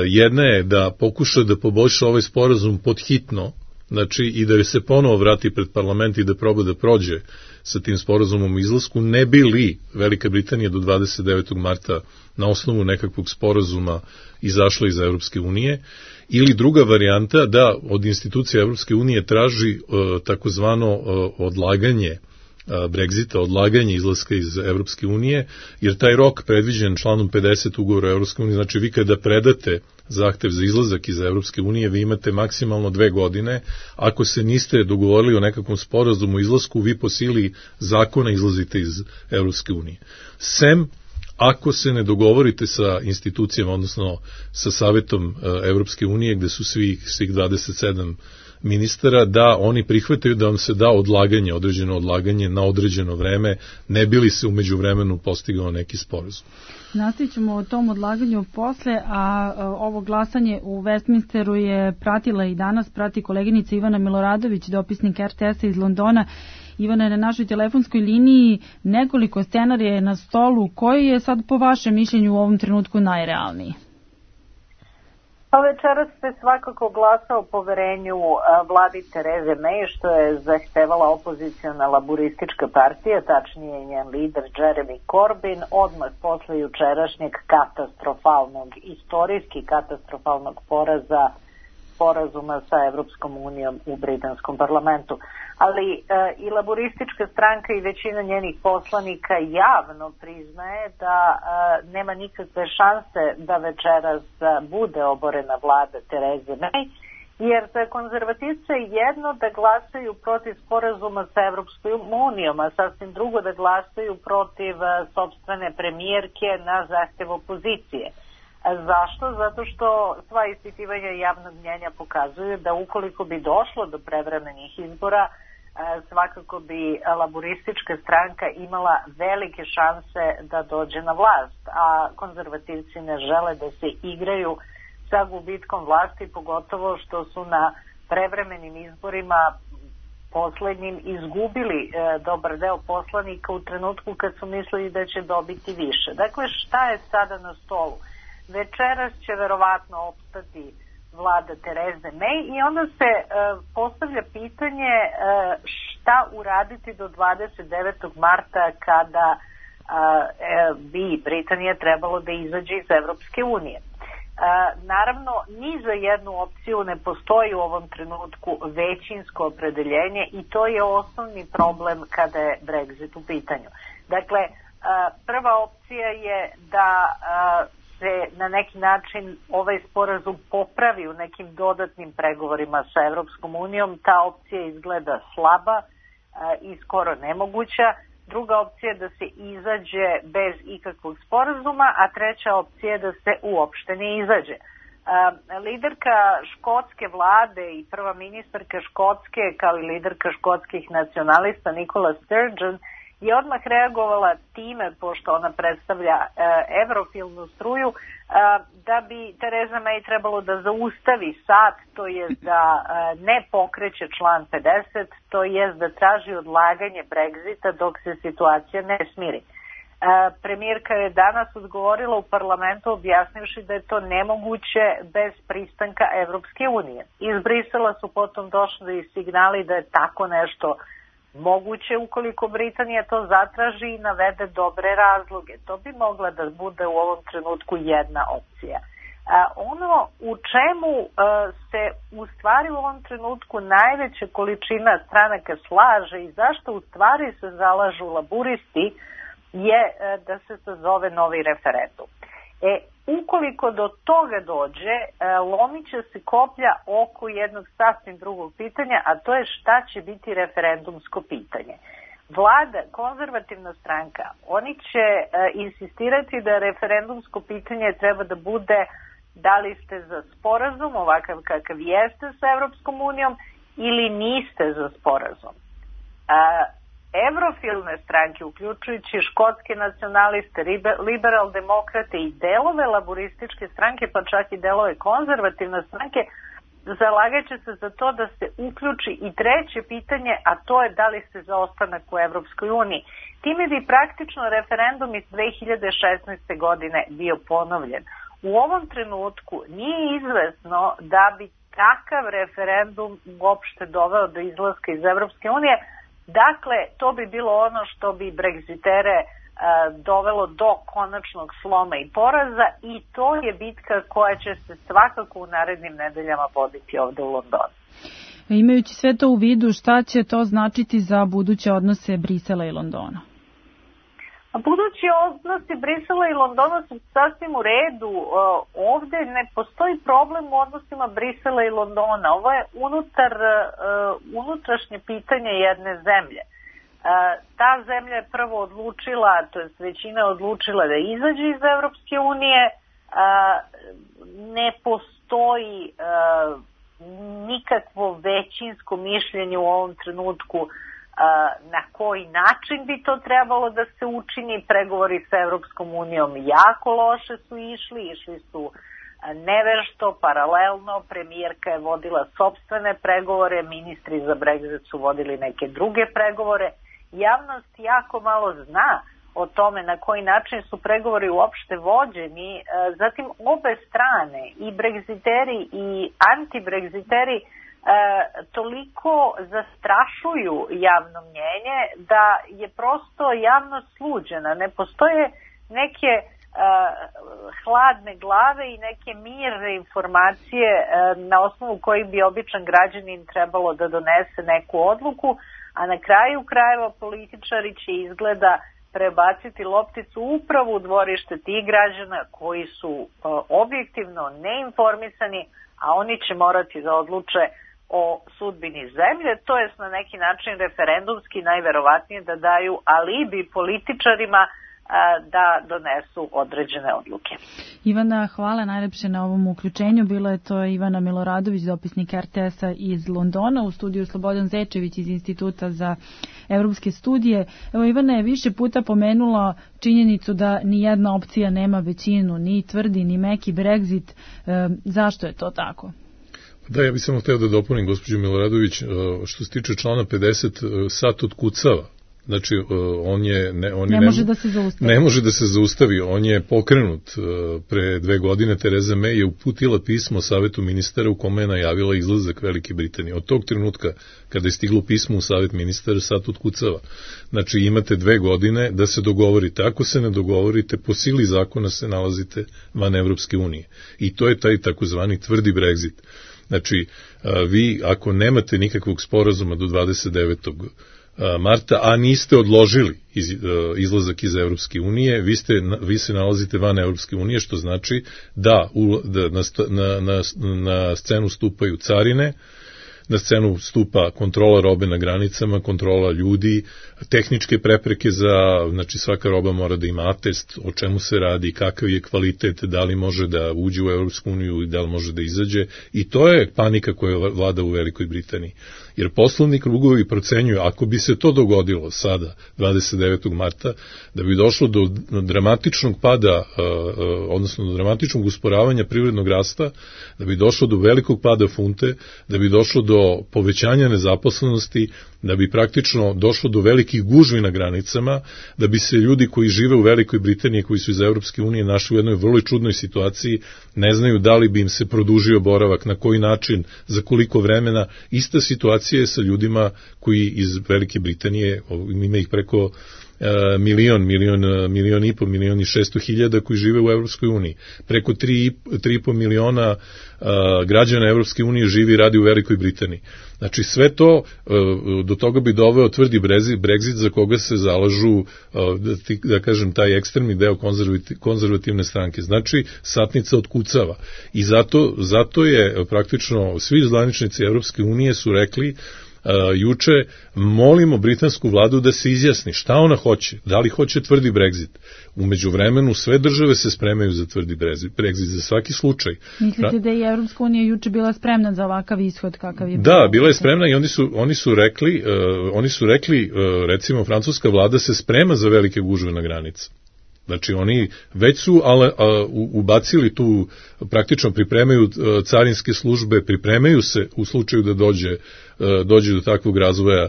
Jedna je da pokuša da poboljša ovaj sporazum podhitno, znači i da se ponovo vrati pred parlament i da proba da prođe sa tim sporazumom o izlasku, ne bi li Velika Britanija do dvadeset devetog marta na osnovu nekakvog sporazuma izašla iz Evropske unije, ili druga varijanta da od institucija Evropske unije traži uh, takozvano uh, odlaganje uh, Brexita, odlaganje izlaska iz Evropske unije, jer taj rok predviđen članom pedeset ugovora o Evropske unije, znači vi kada predate zahtev za izlazak iz Evropske unije, vi imate maksimalno dve godine. Ako se niste dogovorili o nekakvom sporazumu o izlasku, vi po sili zakona izlazite iz Evropske unije. Sem ako se ne dogovorite sa institucijama, odnosno sa Savetom Evropske unije, gde su svi, svih dvadeset sedam ministara, da oni prihvataju da vam se da odlaganje, određeno odlaganje na određeno vreme, ne bi li se umeđu vremenu postigao neki sporazum. Nastavit ćemo o tom odlaganju posle, a ovo glasanje u Westminsteru je pratila i danas, prati koleginica Ivana Miloradović, dopisnik er te esa iz Londona. Ivana je na našoj telefonskoj liniji, nekoliko scenarija je na stolu. Koji je sad po vašem mišljenju u ovom trenutku najrealniji? Pa večeras se svakako glasa o poverenju vladi Therese May, što je zahtevala opoziciona laburistička partija, tačnije njen lider Jeremy Corbyn, odmah posle jučerašnjeg katastrofalnog, istorijski katastrofalnog poraza sporazuma sa Evropskom unijom u britanskom parlamentu. Ali e, i laboristička stranka i većina njenih poslanika javno priznaje da e, nema nikakve šanse da večeras bude oborena vlada Therese May, jer za konzervativce je jedno da glasaju protiv sporazuma sa Evropskom unijom, a sasvim drugo da glasaju protiv e, sopstvene premijerke na zahtev opozicije. Zašto? Zato što sva ispitivanja javnog mnjenja pokazuju da ukoliko bi došlo do prevremenih izbora, svakako bi laboristička stranka imala velike šanse da dođe na vlast, a konzervativci ne žele da se igraju sa gubitkom vlasti, pogotovo što su na prevremenim izborima poslednjim izgubili e, dobar deo poslanika u trenutku kad su mislili da će dobiti više. Dakle, šta je sada na stolu? Večeras će verovatno opstati vlada Therese May i onda se e, postavlja pitanje e, šta uraditi do dvadeset devetog marta kada e, bi Britanija trebalo da izađe iz Evropske unije. E, naravno, ni za jednu opciju ne postoji u ovom trenutku većinsko opredeljenje i to je osnovni problem kada je Brexit u pitanju. Dakle, e, prva opcija je da e, se na neki način ovaj sporazum popravi u nekim dodatnim pregovorima sa Evropskom unijom. Ta opcija izgleda slaba i skoro nemoguća. Druga opcija je da se izađe bez ikakvog sporazuma, a treća opcija je da se uopšte ne izađe. Liderka škotske vlade i prva ministarka Škotske, kao i liderka škotskih nacionalista Nicola Sturgeon, je odmah reagovala time, pošto ona predstavlja e, evrofilnu struju, e, da bi Theresa May trebalo da zaustavi sat, to je da e, ne pokreće član pedeset, to je da traži odlaganje Brexita dok se situacija ne smiri. E, premijerka je danas odgovorila u parlamentu objasnivši da je to nemoguće bez pristanka Evropske unije. Iz Brisela su potom došli signali da je tako nešto Moguće ukoliko Britanija to zatraži i navede dobre razloge. To bi mogla da bude u ovom trenutku jedna opcija. A, ono u čemu a, se u stvari u ovom trenutku najveća količina stranaka slaže i zašto u stvari se zalažu laburisti je a, da se sazove novi referendum. E, ukoliko do toga dođe, a, lomit će se koplja oko jednog sasvim drugog pitanja, a to je šta će biti referendumsko pitanje. Vlada, konzervativna stranka, oni će a, insistirati da referendumsko pitanje treba da bude da li ste za sporazum, ovakav kakav jeste sa Evropskom unijom, ili niste za sporazum. A, evrofilne stranke, uključujući škotske nacionaliste, liberal demokrate i delove laborističke stranke, pa čak i delove konzervativne stranke, zalagat će se za to da se uključi i treće pitanje, a to je da li ste za ostanak u Evropskoj uniji. Time bi praktično referendum iz dve hiljade šesnaeste. godine bio ponovljen. U ovom trenutku nije izvesno da bi takav referendum uopšte doveo do izlaska iz Evropske unije. Dakle, to bi bilo ono što bi Brexitere e, dovelo do konačnog sloma i poraza i to je bitka koja će se svakako u narednim nedeljama voditi ovde u Londonu. Imajući sve to u vidu, šta će to značiti za buduće odnose Brisela i Londona? Budući odnosi Brisela i Londona su sasvim u redu. Ovde ne postoji problem u odnosima Brisela i Londona. Ovo je unutar, unutrašnje pitanje jedne zemlje. Ta zemlja je prvo odlučila, to je većina odlučila da izađe iz Evropske unije. Ne postoji nikakvo većinsko mišljenje u ovom trenutku na koji način bi to trebalo da se učini. Pregovori sa Evropskom unijom jako loše su išli, išli su nevešto, paralelno, premijerka je vodila sopstvene pregovore, ministri za Brexit su vodili neke druge pregovore. Javnost jako malo zna o tome na koji način su pregovori uopšte vođeni. Zatim obe strane, i Brexiteri i anti-Brexiteri, E, toliko zastrašuju javno mnjenje da je prosto javnost sluđena. Ne postoje neke e, hladne glave i neke mirne informacije e, na osnovu kojih bi običan građanin trebalo da donese neku odluku, a na kraju krajeva političari će izgleda prebaciti lopticu upravo u dvorište tih građana koji su e, objektivno neinformisani, a oni će morati da odluče o sudbini zemlje, to je na neki način referendumski najverovatnije da daju alibi političarima a, da donesu određene odluke. Ivana, hvala najlepše na ovom uključenju. Bila je to Ivana Miloradović, dopisnik er te es-a iz Londona, u studiju Slobodan Zečević iz Instituta za evropske studije. Evo, Ivana je više puta pomenula činjenicu da ni jedna opcija nema većinu, ni tvrdi, ni meki Brexit. E, zašto je to tako? Da, ja bih samo hteo da dopunim gospođu Miloradović, što se tiče člana pedeset, sat otkucava. Znači, on je... Ne, on ne, ne može da se zaustavi. Ne može da se zaustavi, on je pokrenut. Pre dve godine Tereza May je uputila pismo Savetu ministara u kome je najavila izlazak Velike Britanije. Od tog trenutka, kada je stiglo pismo u Savet ministara, sat otkucava. Znači, imate dve godine da se dogovorite. Ako se ne dogovorite, po sili zakona se nalazite van Evropske unije. I to je taj takozvani tvrdi Brexit. Znači, vi ako nemate nikakvog sporazuma do dvadeset devetog marta, a niste odložili iz, izlazak iz Evropske unije, vi, ste, vi se nalazite van Evropske unije, što znači da, u, da na, na, na, na scenu stupaju carine, na scenu stupa kontrola robe na granicama, kontrola ljudi, tehničke prepreke za, znači svaka roba mora da ima atest, o čemu se radi, kakav je kvalitet, da li može da uđe u Evropsku uniju i da li može da izađe, i to je panika koja vlada u Velikoj Britaniji. Jer poslovni krugovi procenjuju, ako bi se to dogodilo sada, dvadeset devetog marta, da bi došlo do dramatičnog pada, odnosno do dramatičnog usporavanja privrednog rasta, da bi došlo do velikog pada funte, da bi došlo do do povećanja nezaposlenosti, da bi praktično došlo do velikih gužvi na granicama, da bi se ljudi koji žive u Velikoj Britaniji, koji su iz Evropske unije, našli u jednoj vrlo čudnoj situaciji, ne znaju da li bi im se produžio boravak, na koji način, za koliko vremena. Ista situacija je sa ljudima koji iz Velike Britanije, ima ih preko milion, milion, milion i po, milion i šesto hiljada koji žive u Evropskoj uniji. Preko tri i po miliona građana Evropske unije živi i radi u Velikoj Britaniji. Znači sve to, do toga bi doveo tvrdi Brexit za koga se zalažu, da, da kažem, taj ekstremni deo konzervativne stranke. Znači satnica otkucava. I zato, zato je praktično svi zvaničnici Evropske unije su rekli Uh, juče, molimo britansku vladu da se izjasni šta ona hoće, da li hoće tvrdi Brexit. U međuvremenu sve države se spremaju za tvrdi Brexit, za svaki slučaj. Mislite da je Evropska unija juče bila spremna za ovakav ishod kakav je? Da, bila je spremna i oni su, oni su rekli, uh, oni su rekli uh, recimo, francuska vlada se sprema za velike gužve na granici. Znači oni već su ale, a, ubacili tu, praktično pripremaju a, carinske službe, pripremaju se u slučaju da dođe, a, dođe do takvog razvoja, a,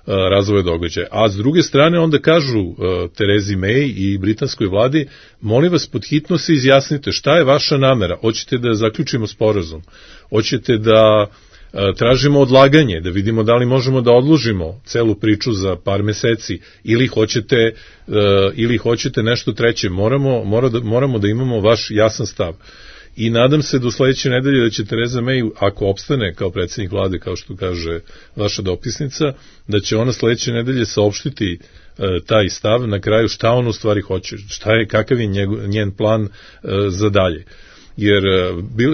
razvoja događaja. A s druge strane onda kažu a, Terezi May i britanskoj vladi, molim vas pod hitno se izjasnite šta je vaša namera, hoćete da zaključimo sporazum, hoćete da tražimo odlaganje, da vidimo da li možemo da odložimo celu priču za par meseci ili hoćete, uh, ili hoćete nešto treće. Moramo, mora da, moramo da imamo vaš jasan stav. I nadam se do sledeće nedelje da će Tereza May, ako opstane kao predsjednik vlade, kao što kaže vaša dopisnica, da će ona sledeće nedelje saopštiti uh, taj stav na kraju šta on u stvari hoće, šta je, kakav je njegov, njen plan uh, za dalje. Jer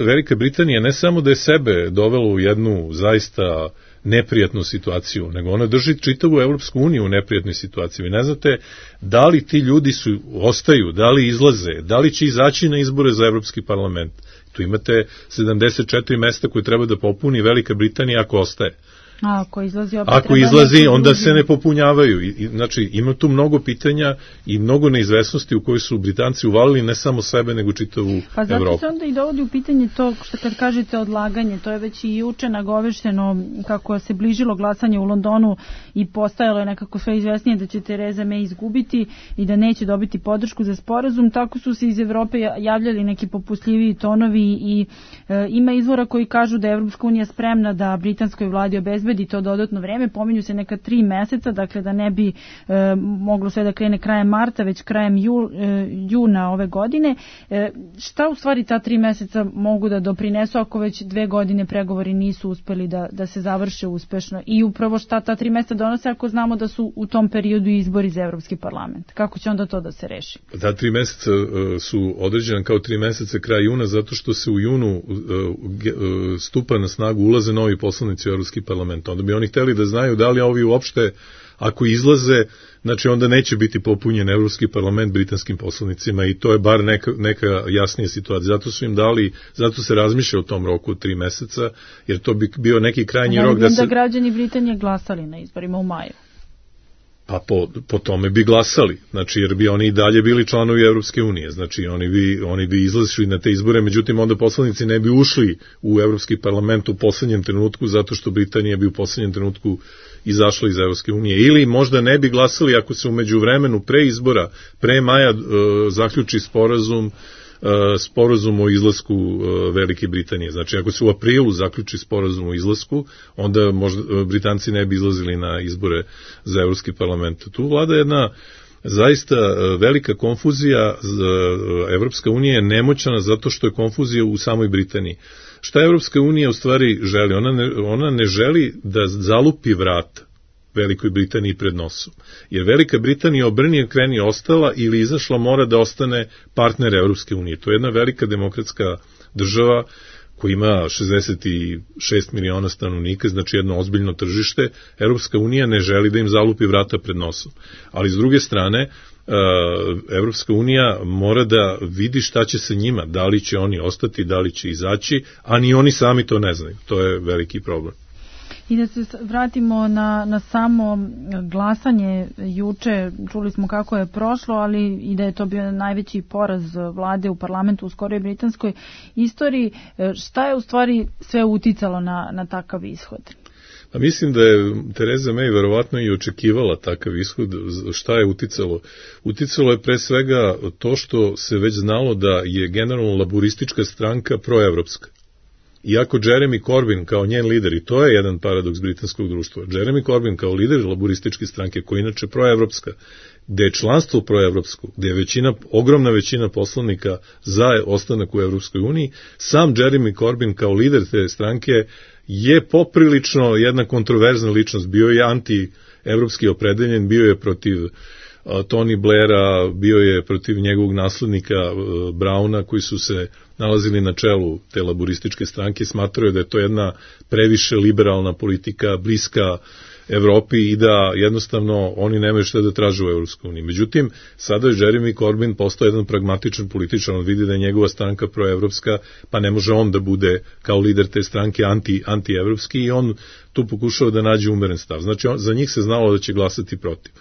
Velika Britanija ne samo da je sebe dovela u jednu zaista neprijatnu situaciju, nego ona drži čitavu Evropsku uniju u neprijatnoj situaciji. Vi ne znate da li ti ljudi su, ostaju, da li izlaze, da li će izaći na izbore za Evropski parlament. Tu imate sedamdeset četiri mesta koje treba da popuni Velika Britanija ako ostaje. A, ako izlazi, opet ako izlazi onda se ne popunjavaju. I, znači, ima tu mnogo pitanja i mnogo neizvesnosti u kojoj su Britanci uvalili ne samo sebe, nego čitavu Evropu. Pa zato Evropu. se onda i dovodi u pitanje to što kad kažete odlaganje, to je već i juče nagovešteno kako se bližilo glasanje u Londonu i postajalo je nekako sve izvesnije da će Tereza May izgubiti i da neće dobiti podršku za sporazum. Tako su se iz Evrope javljali neki popustljiviji tonovi i e, ima izvora koji kažu da je Evropska unija spremna da britanskoj vladi obezbedi to dodatno vreme, pominju se neka tri meseca, dakle da ne bi e, moglo sve da krene krajem marta, već krajem jul, e, juna ove godine. E, šta u stvari ta tri meseca mogu da doprinesu ako već dve godine pregovori nisu uspeli da, da se završe uspešno? I upravo šta ta tri meseca donose ako znamo da su u tom periodu izbori za Evropski parlament? Kako će onda to da se reši? Ta tri meseca uh, su određena kao tri meseca kraj juna, zato što se u junu uh, uh, stupa na snagu, ulaze novi poslanici u Evropski parlament. Onda bi oni hteli da znaju da li ovi uopšte, ako izlaze, znači onda neće biti popunjen Evropski parlament britanskim poslanicima i to je bar neka, neka jasnija situacija. Zato su im dali, zato se razmišlja o tom roku od tri meseca, jer to bi bio neki krajnji rok da se... Da građani Britanije glasali na izborima u maju. Pa po, po tome bi glasali, znači jer bi oni i dalje bili članovi Evropske unije, znači oni bi, oni bi izlazili na te izbore, međutim onda poslanici ne bi ušli u Evropski parlament u poslednjem trenutku, zato što Britanija bi u poslednjem trenutku izašla iz Evropske unije, ili možda ne bi glasali ako se u međuvremenu pre izbora, pre maja e, zaključi sporazum sporazum o izlasku Velike Britanije. Znači, ako se u aprilu zaključi sporazum o izlasku, onda možda Britanci ne bi izlazili na izbore za Evropski parlament. Tu vlada jedna zaista velika konfuzija. Evropska unija je nemoćna zato što je konfuzija u samoj Britaniji. Šta Evropska unija u stvari želi? Ona ne, ona ne želi da zalupi vrata Velikoj Britaniji pred nosom. Jer Velika Britanija obrni kreni ostala ili izašla mora da ostane partner Evropske unije. To je jedna velika demokratska država koja ima šezdeset šest miliona stanovnika, znači jedno ozbiljno tržište. Evropska unija ne želi da im zalupi vrata pred nosom. Ali s druge strane, Evropska unija mora da vidi šta će se njima, da li će oni ostati, da li će izaći, a ni oni sami to ne znaju. To je veliki problem. I da se vratimo na, na samo glasanje juče, čuli smo kako je prošlo, ali i da je to bio najveći poraz vlade u parlamentu u skoroj britanskoj istoriji. Šta je u stvari sve uticalo na, na takav ishod? A mislim da je Tereza May verovatno i očekivala takav ishod. Šta je uticalo? Uticalo je pre svega to što se već znalo da je generalno laburistička stranka proevropska. Iako Jeremy Corbyn kao njen lider, i to je jedan paradoks britanskog društva, Jeremy Corbyn kao lider laburističke stranke, koja je inače proevropska, gde je članstvo proevropsko, gde je većina, ogromna većina poslanika za ostanak u Evropskoj uniji, sam Jeremy Corbyn kao lider te stranke je poprilično jedna kontroverzna ličnost, bio je anti-evropski opredeljen, bio je protiv uh, Tony Blaira, bio je protiv njegovog naslednika uh, Browna, koji su se nalazili na čelu te laburističke stranke, smatraju da je to jedna previše liberalna politika, bliska Evropi i da jednostavno oni nemaju šta da traže u Evropskoj uniji. Međutim, sada je Jeremy Corbyn postao jedan pragmatičan političar, on vidi da je njegova stranka proevropska, pa ne može on da bude kao lider te stranke anti, anti-evropski i on tu pokušao da nađe umeren stav. Znači, on, za njih se znalo da će glasati protiv.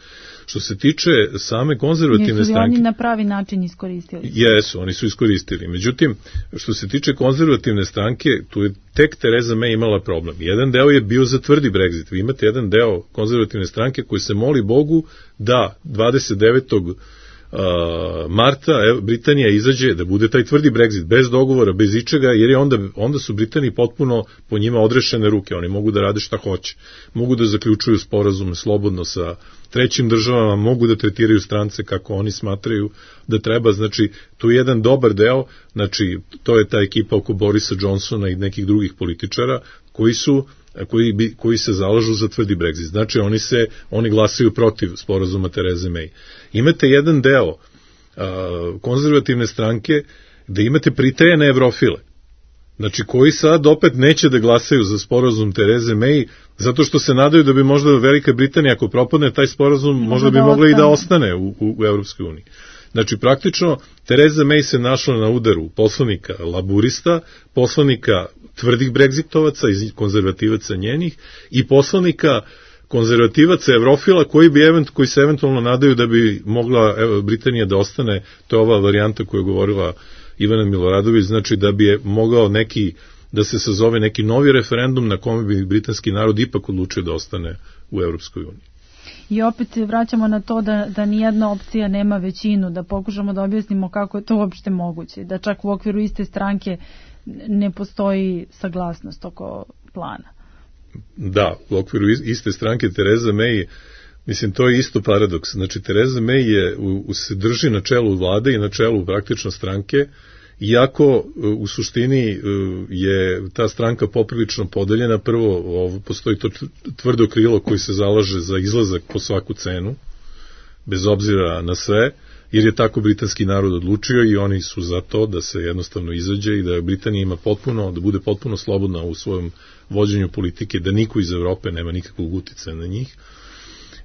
Što se tiče same konzervativne stranke... Jesu li oni na pravi način iskoristili? Jesu, oni su iskoristili. Međutim, što se tiče konzervativne stranke, tu je tek Tereza May imala problem. Jedan deo je bio za tvrdi Brexit. Vi imate jedan deo konzervativne stranke koji se moli Bogu da dvadeset devetog marta Britanija izađe, da bude taj tvrdi Brexit, bez dogovora, bez ičega, jer je onda, onda su Britaniji potpuno po njima odrešene ruke, oni mogu da rade šta hoće, mogu da zaključuju sporazume slobodno sa trećim državama, mogu da tretiraju strance kako oni smatraju da treba, znači tu je jedan dobar deo, znači to je ta ekipa oko Borisa Johnsona i nekih drugih političara koji su Koji, bi, koji se zalažu za tvrdi Brexit. Znači, oni se, oni glasaju protiv sporazuma Tereze May. Imate jedan deo a, konzervativne stranke da imate pritajene evrofile. Znači, koji sad opet neće da glasaju za sporazum Tereze May, zato što se nadaju da bi možda Velika Britanija, ako propadne taj sporazum, možda bi mogla i da ostane u, u, u Evropskoj uniji. Znači, praktično, Tereza May se našla na udaru poslanika laburista, poslanika tvrdih bregzitovaca i konzervativaca njenih i poslanika konzervativaca evrofila koji, bi event, koji se eventualno nadaju da bi mogla evo, Britanija da ostane, to je ova varijanta koju je govorila Ivana Miloradović, znači da bi je mogao neki, da se sazove neki novi referendum na kome bi britanski narod ipak odlučio da ostane u Evropskoj uniji. I opet se vraćamo na to da, da nijedna opcija nema većinu, da pokušamo da objasnimo kako je to uopšte moguće, da čak u okviru iste stranke ne postoji saglasnost oko plana. Da, u okviru iste stranke Tereza May, mislim, to je isto paradoks. Znači, Tereza May je, u, u, se drži na čelu vlade i na čelu praktično stranke, iako u suštini je ta stranka poprilično podeljena. Prvo, ovo, postoji to tvrdo krilo koji se zalaže za izlazak po svaku cenu, bez obzira na sve, jer je tako britanski narod odlučio i oni su za to da se jednostavno izađe i da Britanija ima potpuno, da bude potpuno slobodna u svojom vođenju politike, da niko iz Evrope nema nikakvog uticaja na njih.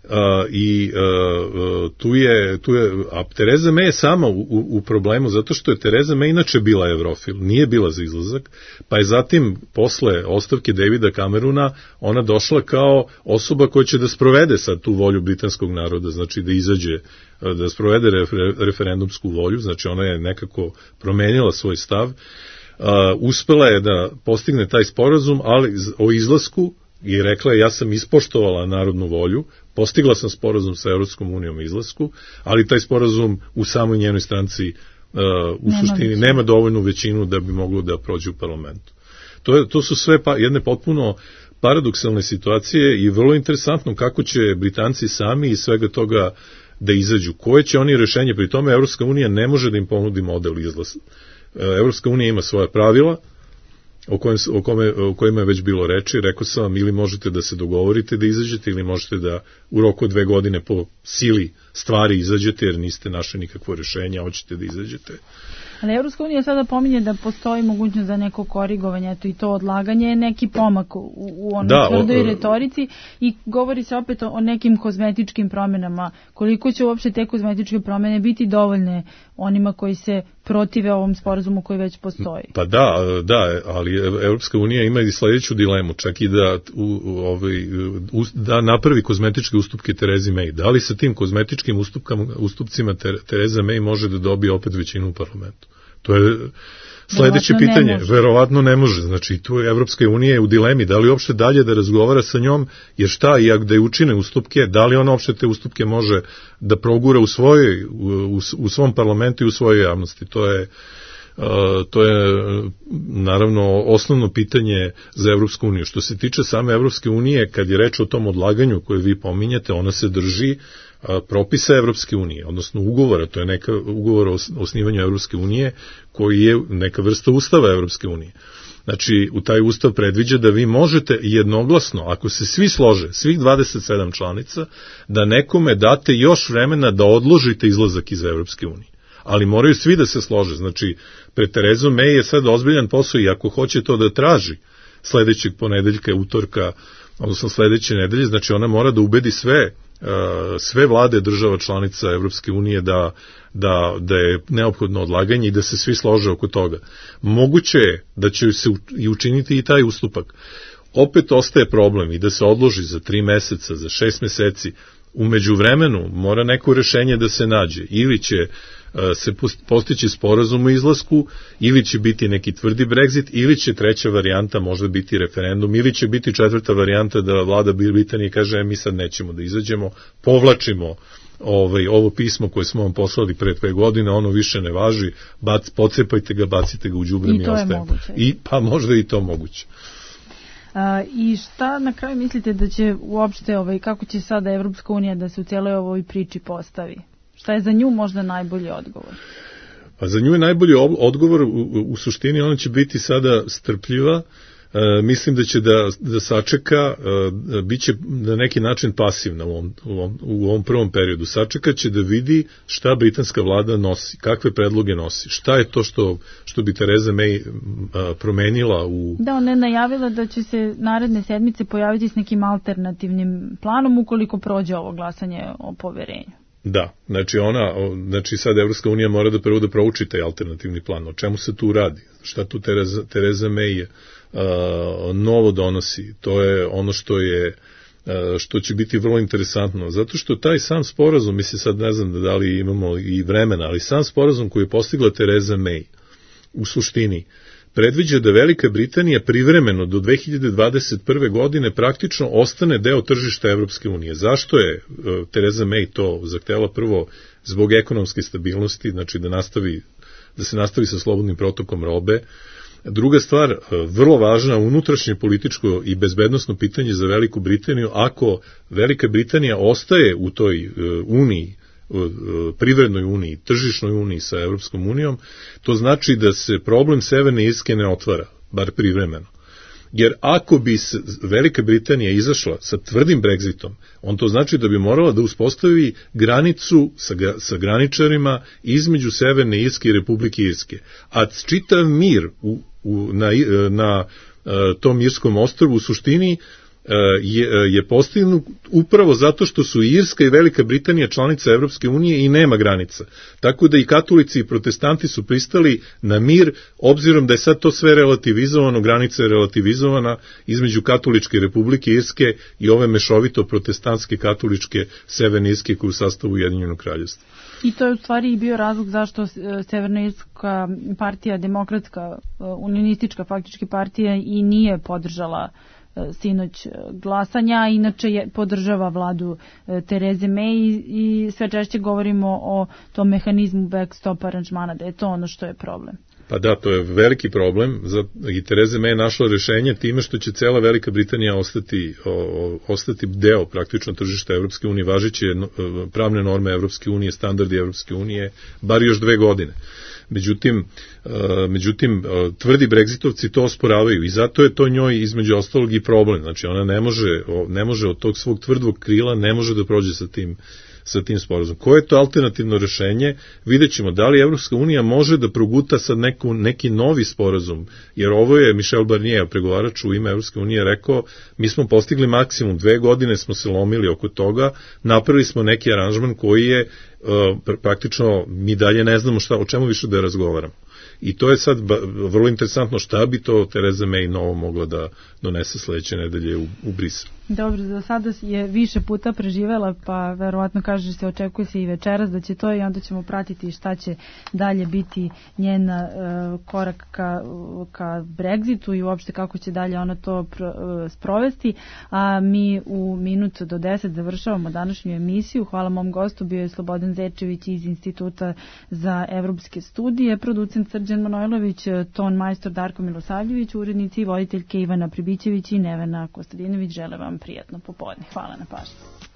Uh, i uh, tu je, tu je, a Tereza May je sama u, u, u problemu, zato što je Tereza May inače bila evrofil, nije bila za izlazak, pa je zatim posle ostavke Davida Camerona ona došla kao osoba koja će da sprovede sad tu volju britanskog naroda, znači da izađe, da sprovede refer, referendumsku volju, znači ona je nekako promenila svoj stav, uh, uspela je da postigne taj sporazum, ali o izlasku, i rekla je ja sam ispoštovala narodnu volju, postigla sam sporazum sa Evropskom unijom o izlasku, ali taj sporazum u samoj njenoj stranci uh, u nema suštini većinu. Nema dovoljnu većinu da bi moglo da prođe u parlamentu. To, je, to su sve pa, jedne potpuno paradoksalne situacije i vrlo interesantno kako će Britanci sami iz svega toga da izađu. Koje će oni rešenje? Pri tome Evropska unija ne može da im ponudi model izlaza. Evropska unija ima svoja pravila, O, kojem, o, kome, o kojima je već bilo reči, rekao sam vam, ili možete da se dogovorite da izađete, ili možete da u roku dve godine po sili stvari izađete, jer niste našli nikakvo rešenje, a hoćete da izađete. Ali Evropska unija sada pominje da postoji mogućnost za neko korigovanje, eto i to odlaganje je neki pomak u, u onoj da, tvrdoj retorici i govori se opet o, o nekim kozmetičkim promenama. Koliko će uopšte te kozmetičke promene biti dovoljne onima koji se protive ovom sporazumu koji već postoji. Pa da, da, ali Evropska unija ima i sledeću dilemu, čak i da, u, u, ovaj, u, da napravi kozmetičke ustupke Terezi May. Da li sa tim kozmetičkim ustupkama, ustupcima Tereza May može da dobije opet većinu u parlamentu? To je sledeće Verovatno pitanje. Ne Verovatno ne može. Znači, tu je Evropska unija u dilemi. Da li uopšte dalje da razgovara sa njom, jer šta, i ako da je učine ustupke, da li ona uopšte te ustupke može da progura u, svojoj, u, u, u svom parlamentu i u svojoj javnosti. To je, uh, to je naravno osnovno pitanje za Evropsku uniju. Što se tiče same Evropske unije, kad je reč o tom odlaganju koje vi pominjete, ona se drži propisa Evropske unije, odnosno ugovora, to je neka ugovor o osnivanju Evropske unije koji je neka vrsta ustava Evropske unije. Znači, u taj ustav predviđa da vi možete jednoglasno, ako se svi slože, svih dvadeset sedam članica, da nekome date još vremena da odložite izlazak iz Evropske unije. Ali moraju svi da se slože. Znači, pred Terezom May je sad ozbiljan posao i ako hoće to da traži sledećeg ponedeljka, utorka, odnosno sledeće nedelje, znači ona mora da ubedi sve sve vlade država članica Evropske unije da, da, da je neophodno odlaganje i da se svi slože oko toga. Moguće je da će se i učiniti i taj ustupak. Opet ostaje problem i da se odloži za tri meseca, za šest meseci. U međuvremenu mora neko rešenje da se nađe. Ili će se postići sporazum o izlasku, ili će biti neki tvrdi Brexit, ili će treća varijanta možda biti referendum, ili će biti četvrta varijanta da vlada Britanije kaže mi sad nećemo da izađemo, povlačimo ovaj, ovo pismo koje smo vam poslali pre dve godine, ono više ne važi, bac, pocepajte ga, bacite ga u đubre, mi ostajemo. I pa možda i to moguće. A, I šta na kraju mislite da će uopšte, ovaj, kako će sada Evropska unija da se u cijeloj ovoj priči postavi? Šta je za nju možda najbolji odgovor? A za nju je najbolji odgovor, u, u suštini ona će biti sada strpljiva, e, mislim da će da, da sačeka, e, bit će na neki način pasivna u ovom, u, ovom, u ovom prvom periodu, sačeka će da vidi šta britanska vlada nosi, kakve predloge nosi, šta je to što, što bi Tereza May a, promenila u... Da, ona je najavila da će se naredne sedmice pojaviti s nekim alternativnim planom ukoliko prođe ovo glasanje o poverenju. Da, znači ona, znači sad Evropska unija mora da prvo da prouči taj alternativni plan. O čemu se tu radi? Šta tu Tereza, Tereza May uh, novo donosi? To je ono što je uh, što će biti vrlo interesantno. Zato što taj sam sporazum, mislim sad ne znam da li imamo i vremena, ali sam sporazum koji je postigla Tereza May u suštini predviđa da Velika Britanija privremeno do dve hiljade dvadeset prve. godine praktično ostane deo tržišta Evropske unije. Zašto je uh, Tereza May to zahtela? Prvo, zbog ekonomske stabilnosti, znači da, nastavi, da se nastavi sa slobodnim protokom robe. Druga stvar, uh, vrlo važna, unutrašnje političko i bezbednosno pitanje za Veliku Britaniju, ako Velika Britanija ostaje u toj uh, uniji, privrednoj uniji, tržišnoj uniji sa Evropskom unijom, to znači da se problem Severne Irske ne otvara, bar privremeno. Jer ako bi Velika Britanija izašla sa tvrdim Brexitom, on to znači da bi morala da uspostavi granicu sa, sa graničarima između Severne Irske i Republike Irske. A čitav mir u, u, na, na tom Irskom ostrvu u suštini je, je postignut upravo zato što su Irska i Velika Britanija članica Evropske unije i nema granica. Tako da i katolici i protestanti su pristali na mir, obzirom da je sad to sve relativizovano, granica je relativizovana između katoličke Republike Irske i ove mešovito protestantske katoličke Severne Irske koje u sastavu Ujedinjenog kraljevstva. I to je u stvari i bio razlog zašto Severna Irska partija, demokratska, unionistička faktički partija i nije podržala sinoć glasanja, inače je, podržava vladu Tereze May i sve češće govorimo o tom mehanizmu backstop aranžmana, da je to ono što je problem. Pa da, to je veliki problem i Tereza May je našla rešenje time što će cela Velika Britanija ostati, o, ostati deo praktično tržišta Evropske unije, važeće pravne norme Evropske unije, standardi Evropske unije, bar još dve godine. Međutim, međutim, tvrdi Brexitovci to osporavaju i zato je to njoj između ostalog i problem. Znači ona ne može, ne može od tog svog tvrdog krila, ne može da prođe sa tim, sa tim sporazumom. Koje je to alternativno rešenje? Vidjet ćemo da li Evropska unija može da proguta sad neku, neki novi sporazum, jer ovo je Michel Barnier, pregovarač u ime Evropske unije, rekao, mi smo postigli maksimum, dve godine smo se lomili oko toga, napravili smo neki aranžman koji je uh, praktično, mi dalje ne znamo šta, o čemu više da razgovaramo. I to je sad vrlo interesantno šta bi to Theresa May novo mogla da donese sledeće nedelje u, u Briselu. Dobro, za sada je više puta preživela, pa verovatno kaže se, očekuje se i večeras da će to i onda ćemo pratiti šta će dalje biti njen uh, korak ka, ka Brexitu i uopšte kako će dalje ona to pr, uh, sprovesti. A mi u minut do deset završavamo današnju emisiju. Hvala mom gostu, bio je Slobodan Zečević iz Instituta za evropske studije, producent Srđan Manojlović, ton majstor Darko Milosavljević, urednici i voditeljke Ivana Pribićević i Nevena Kostadinović. Žele vam prijatno popodne. Hvala na pažnju.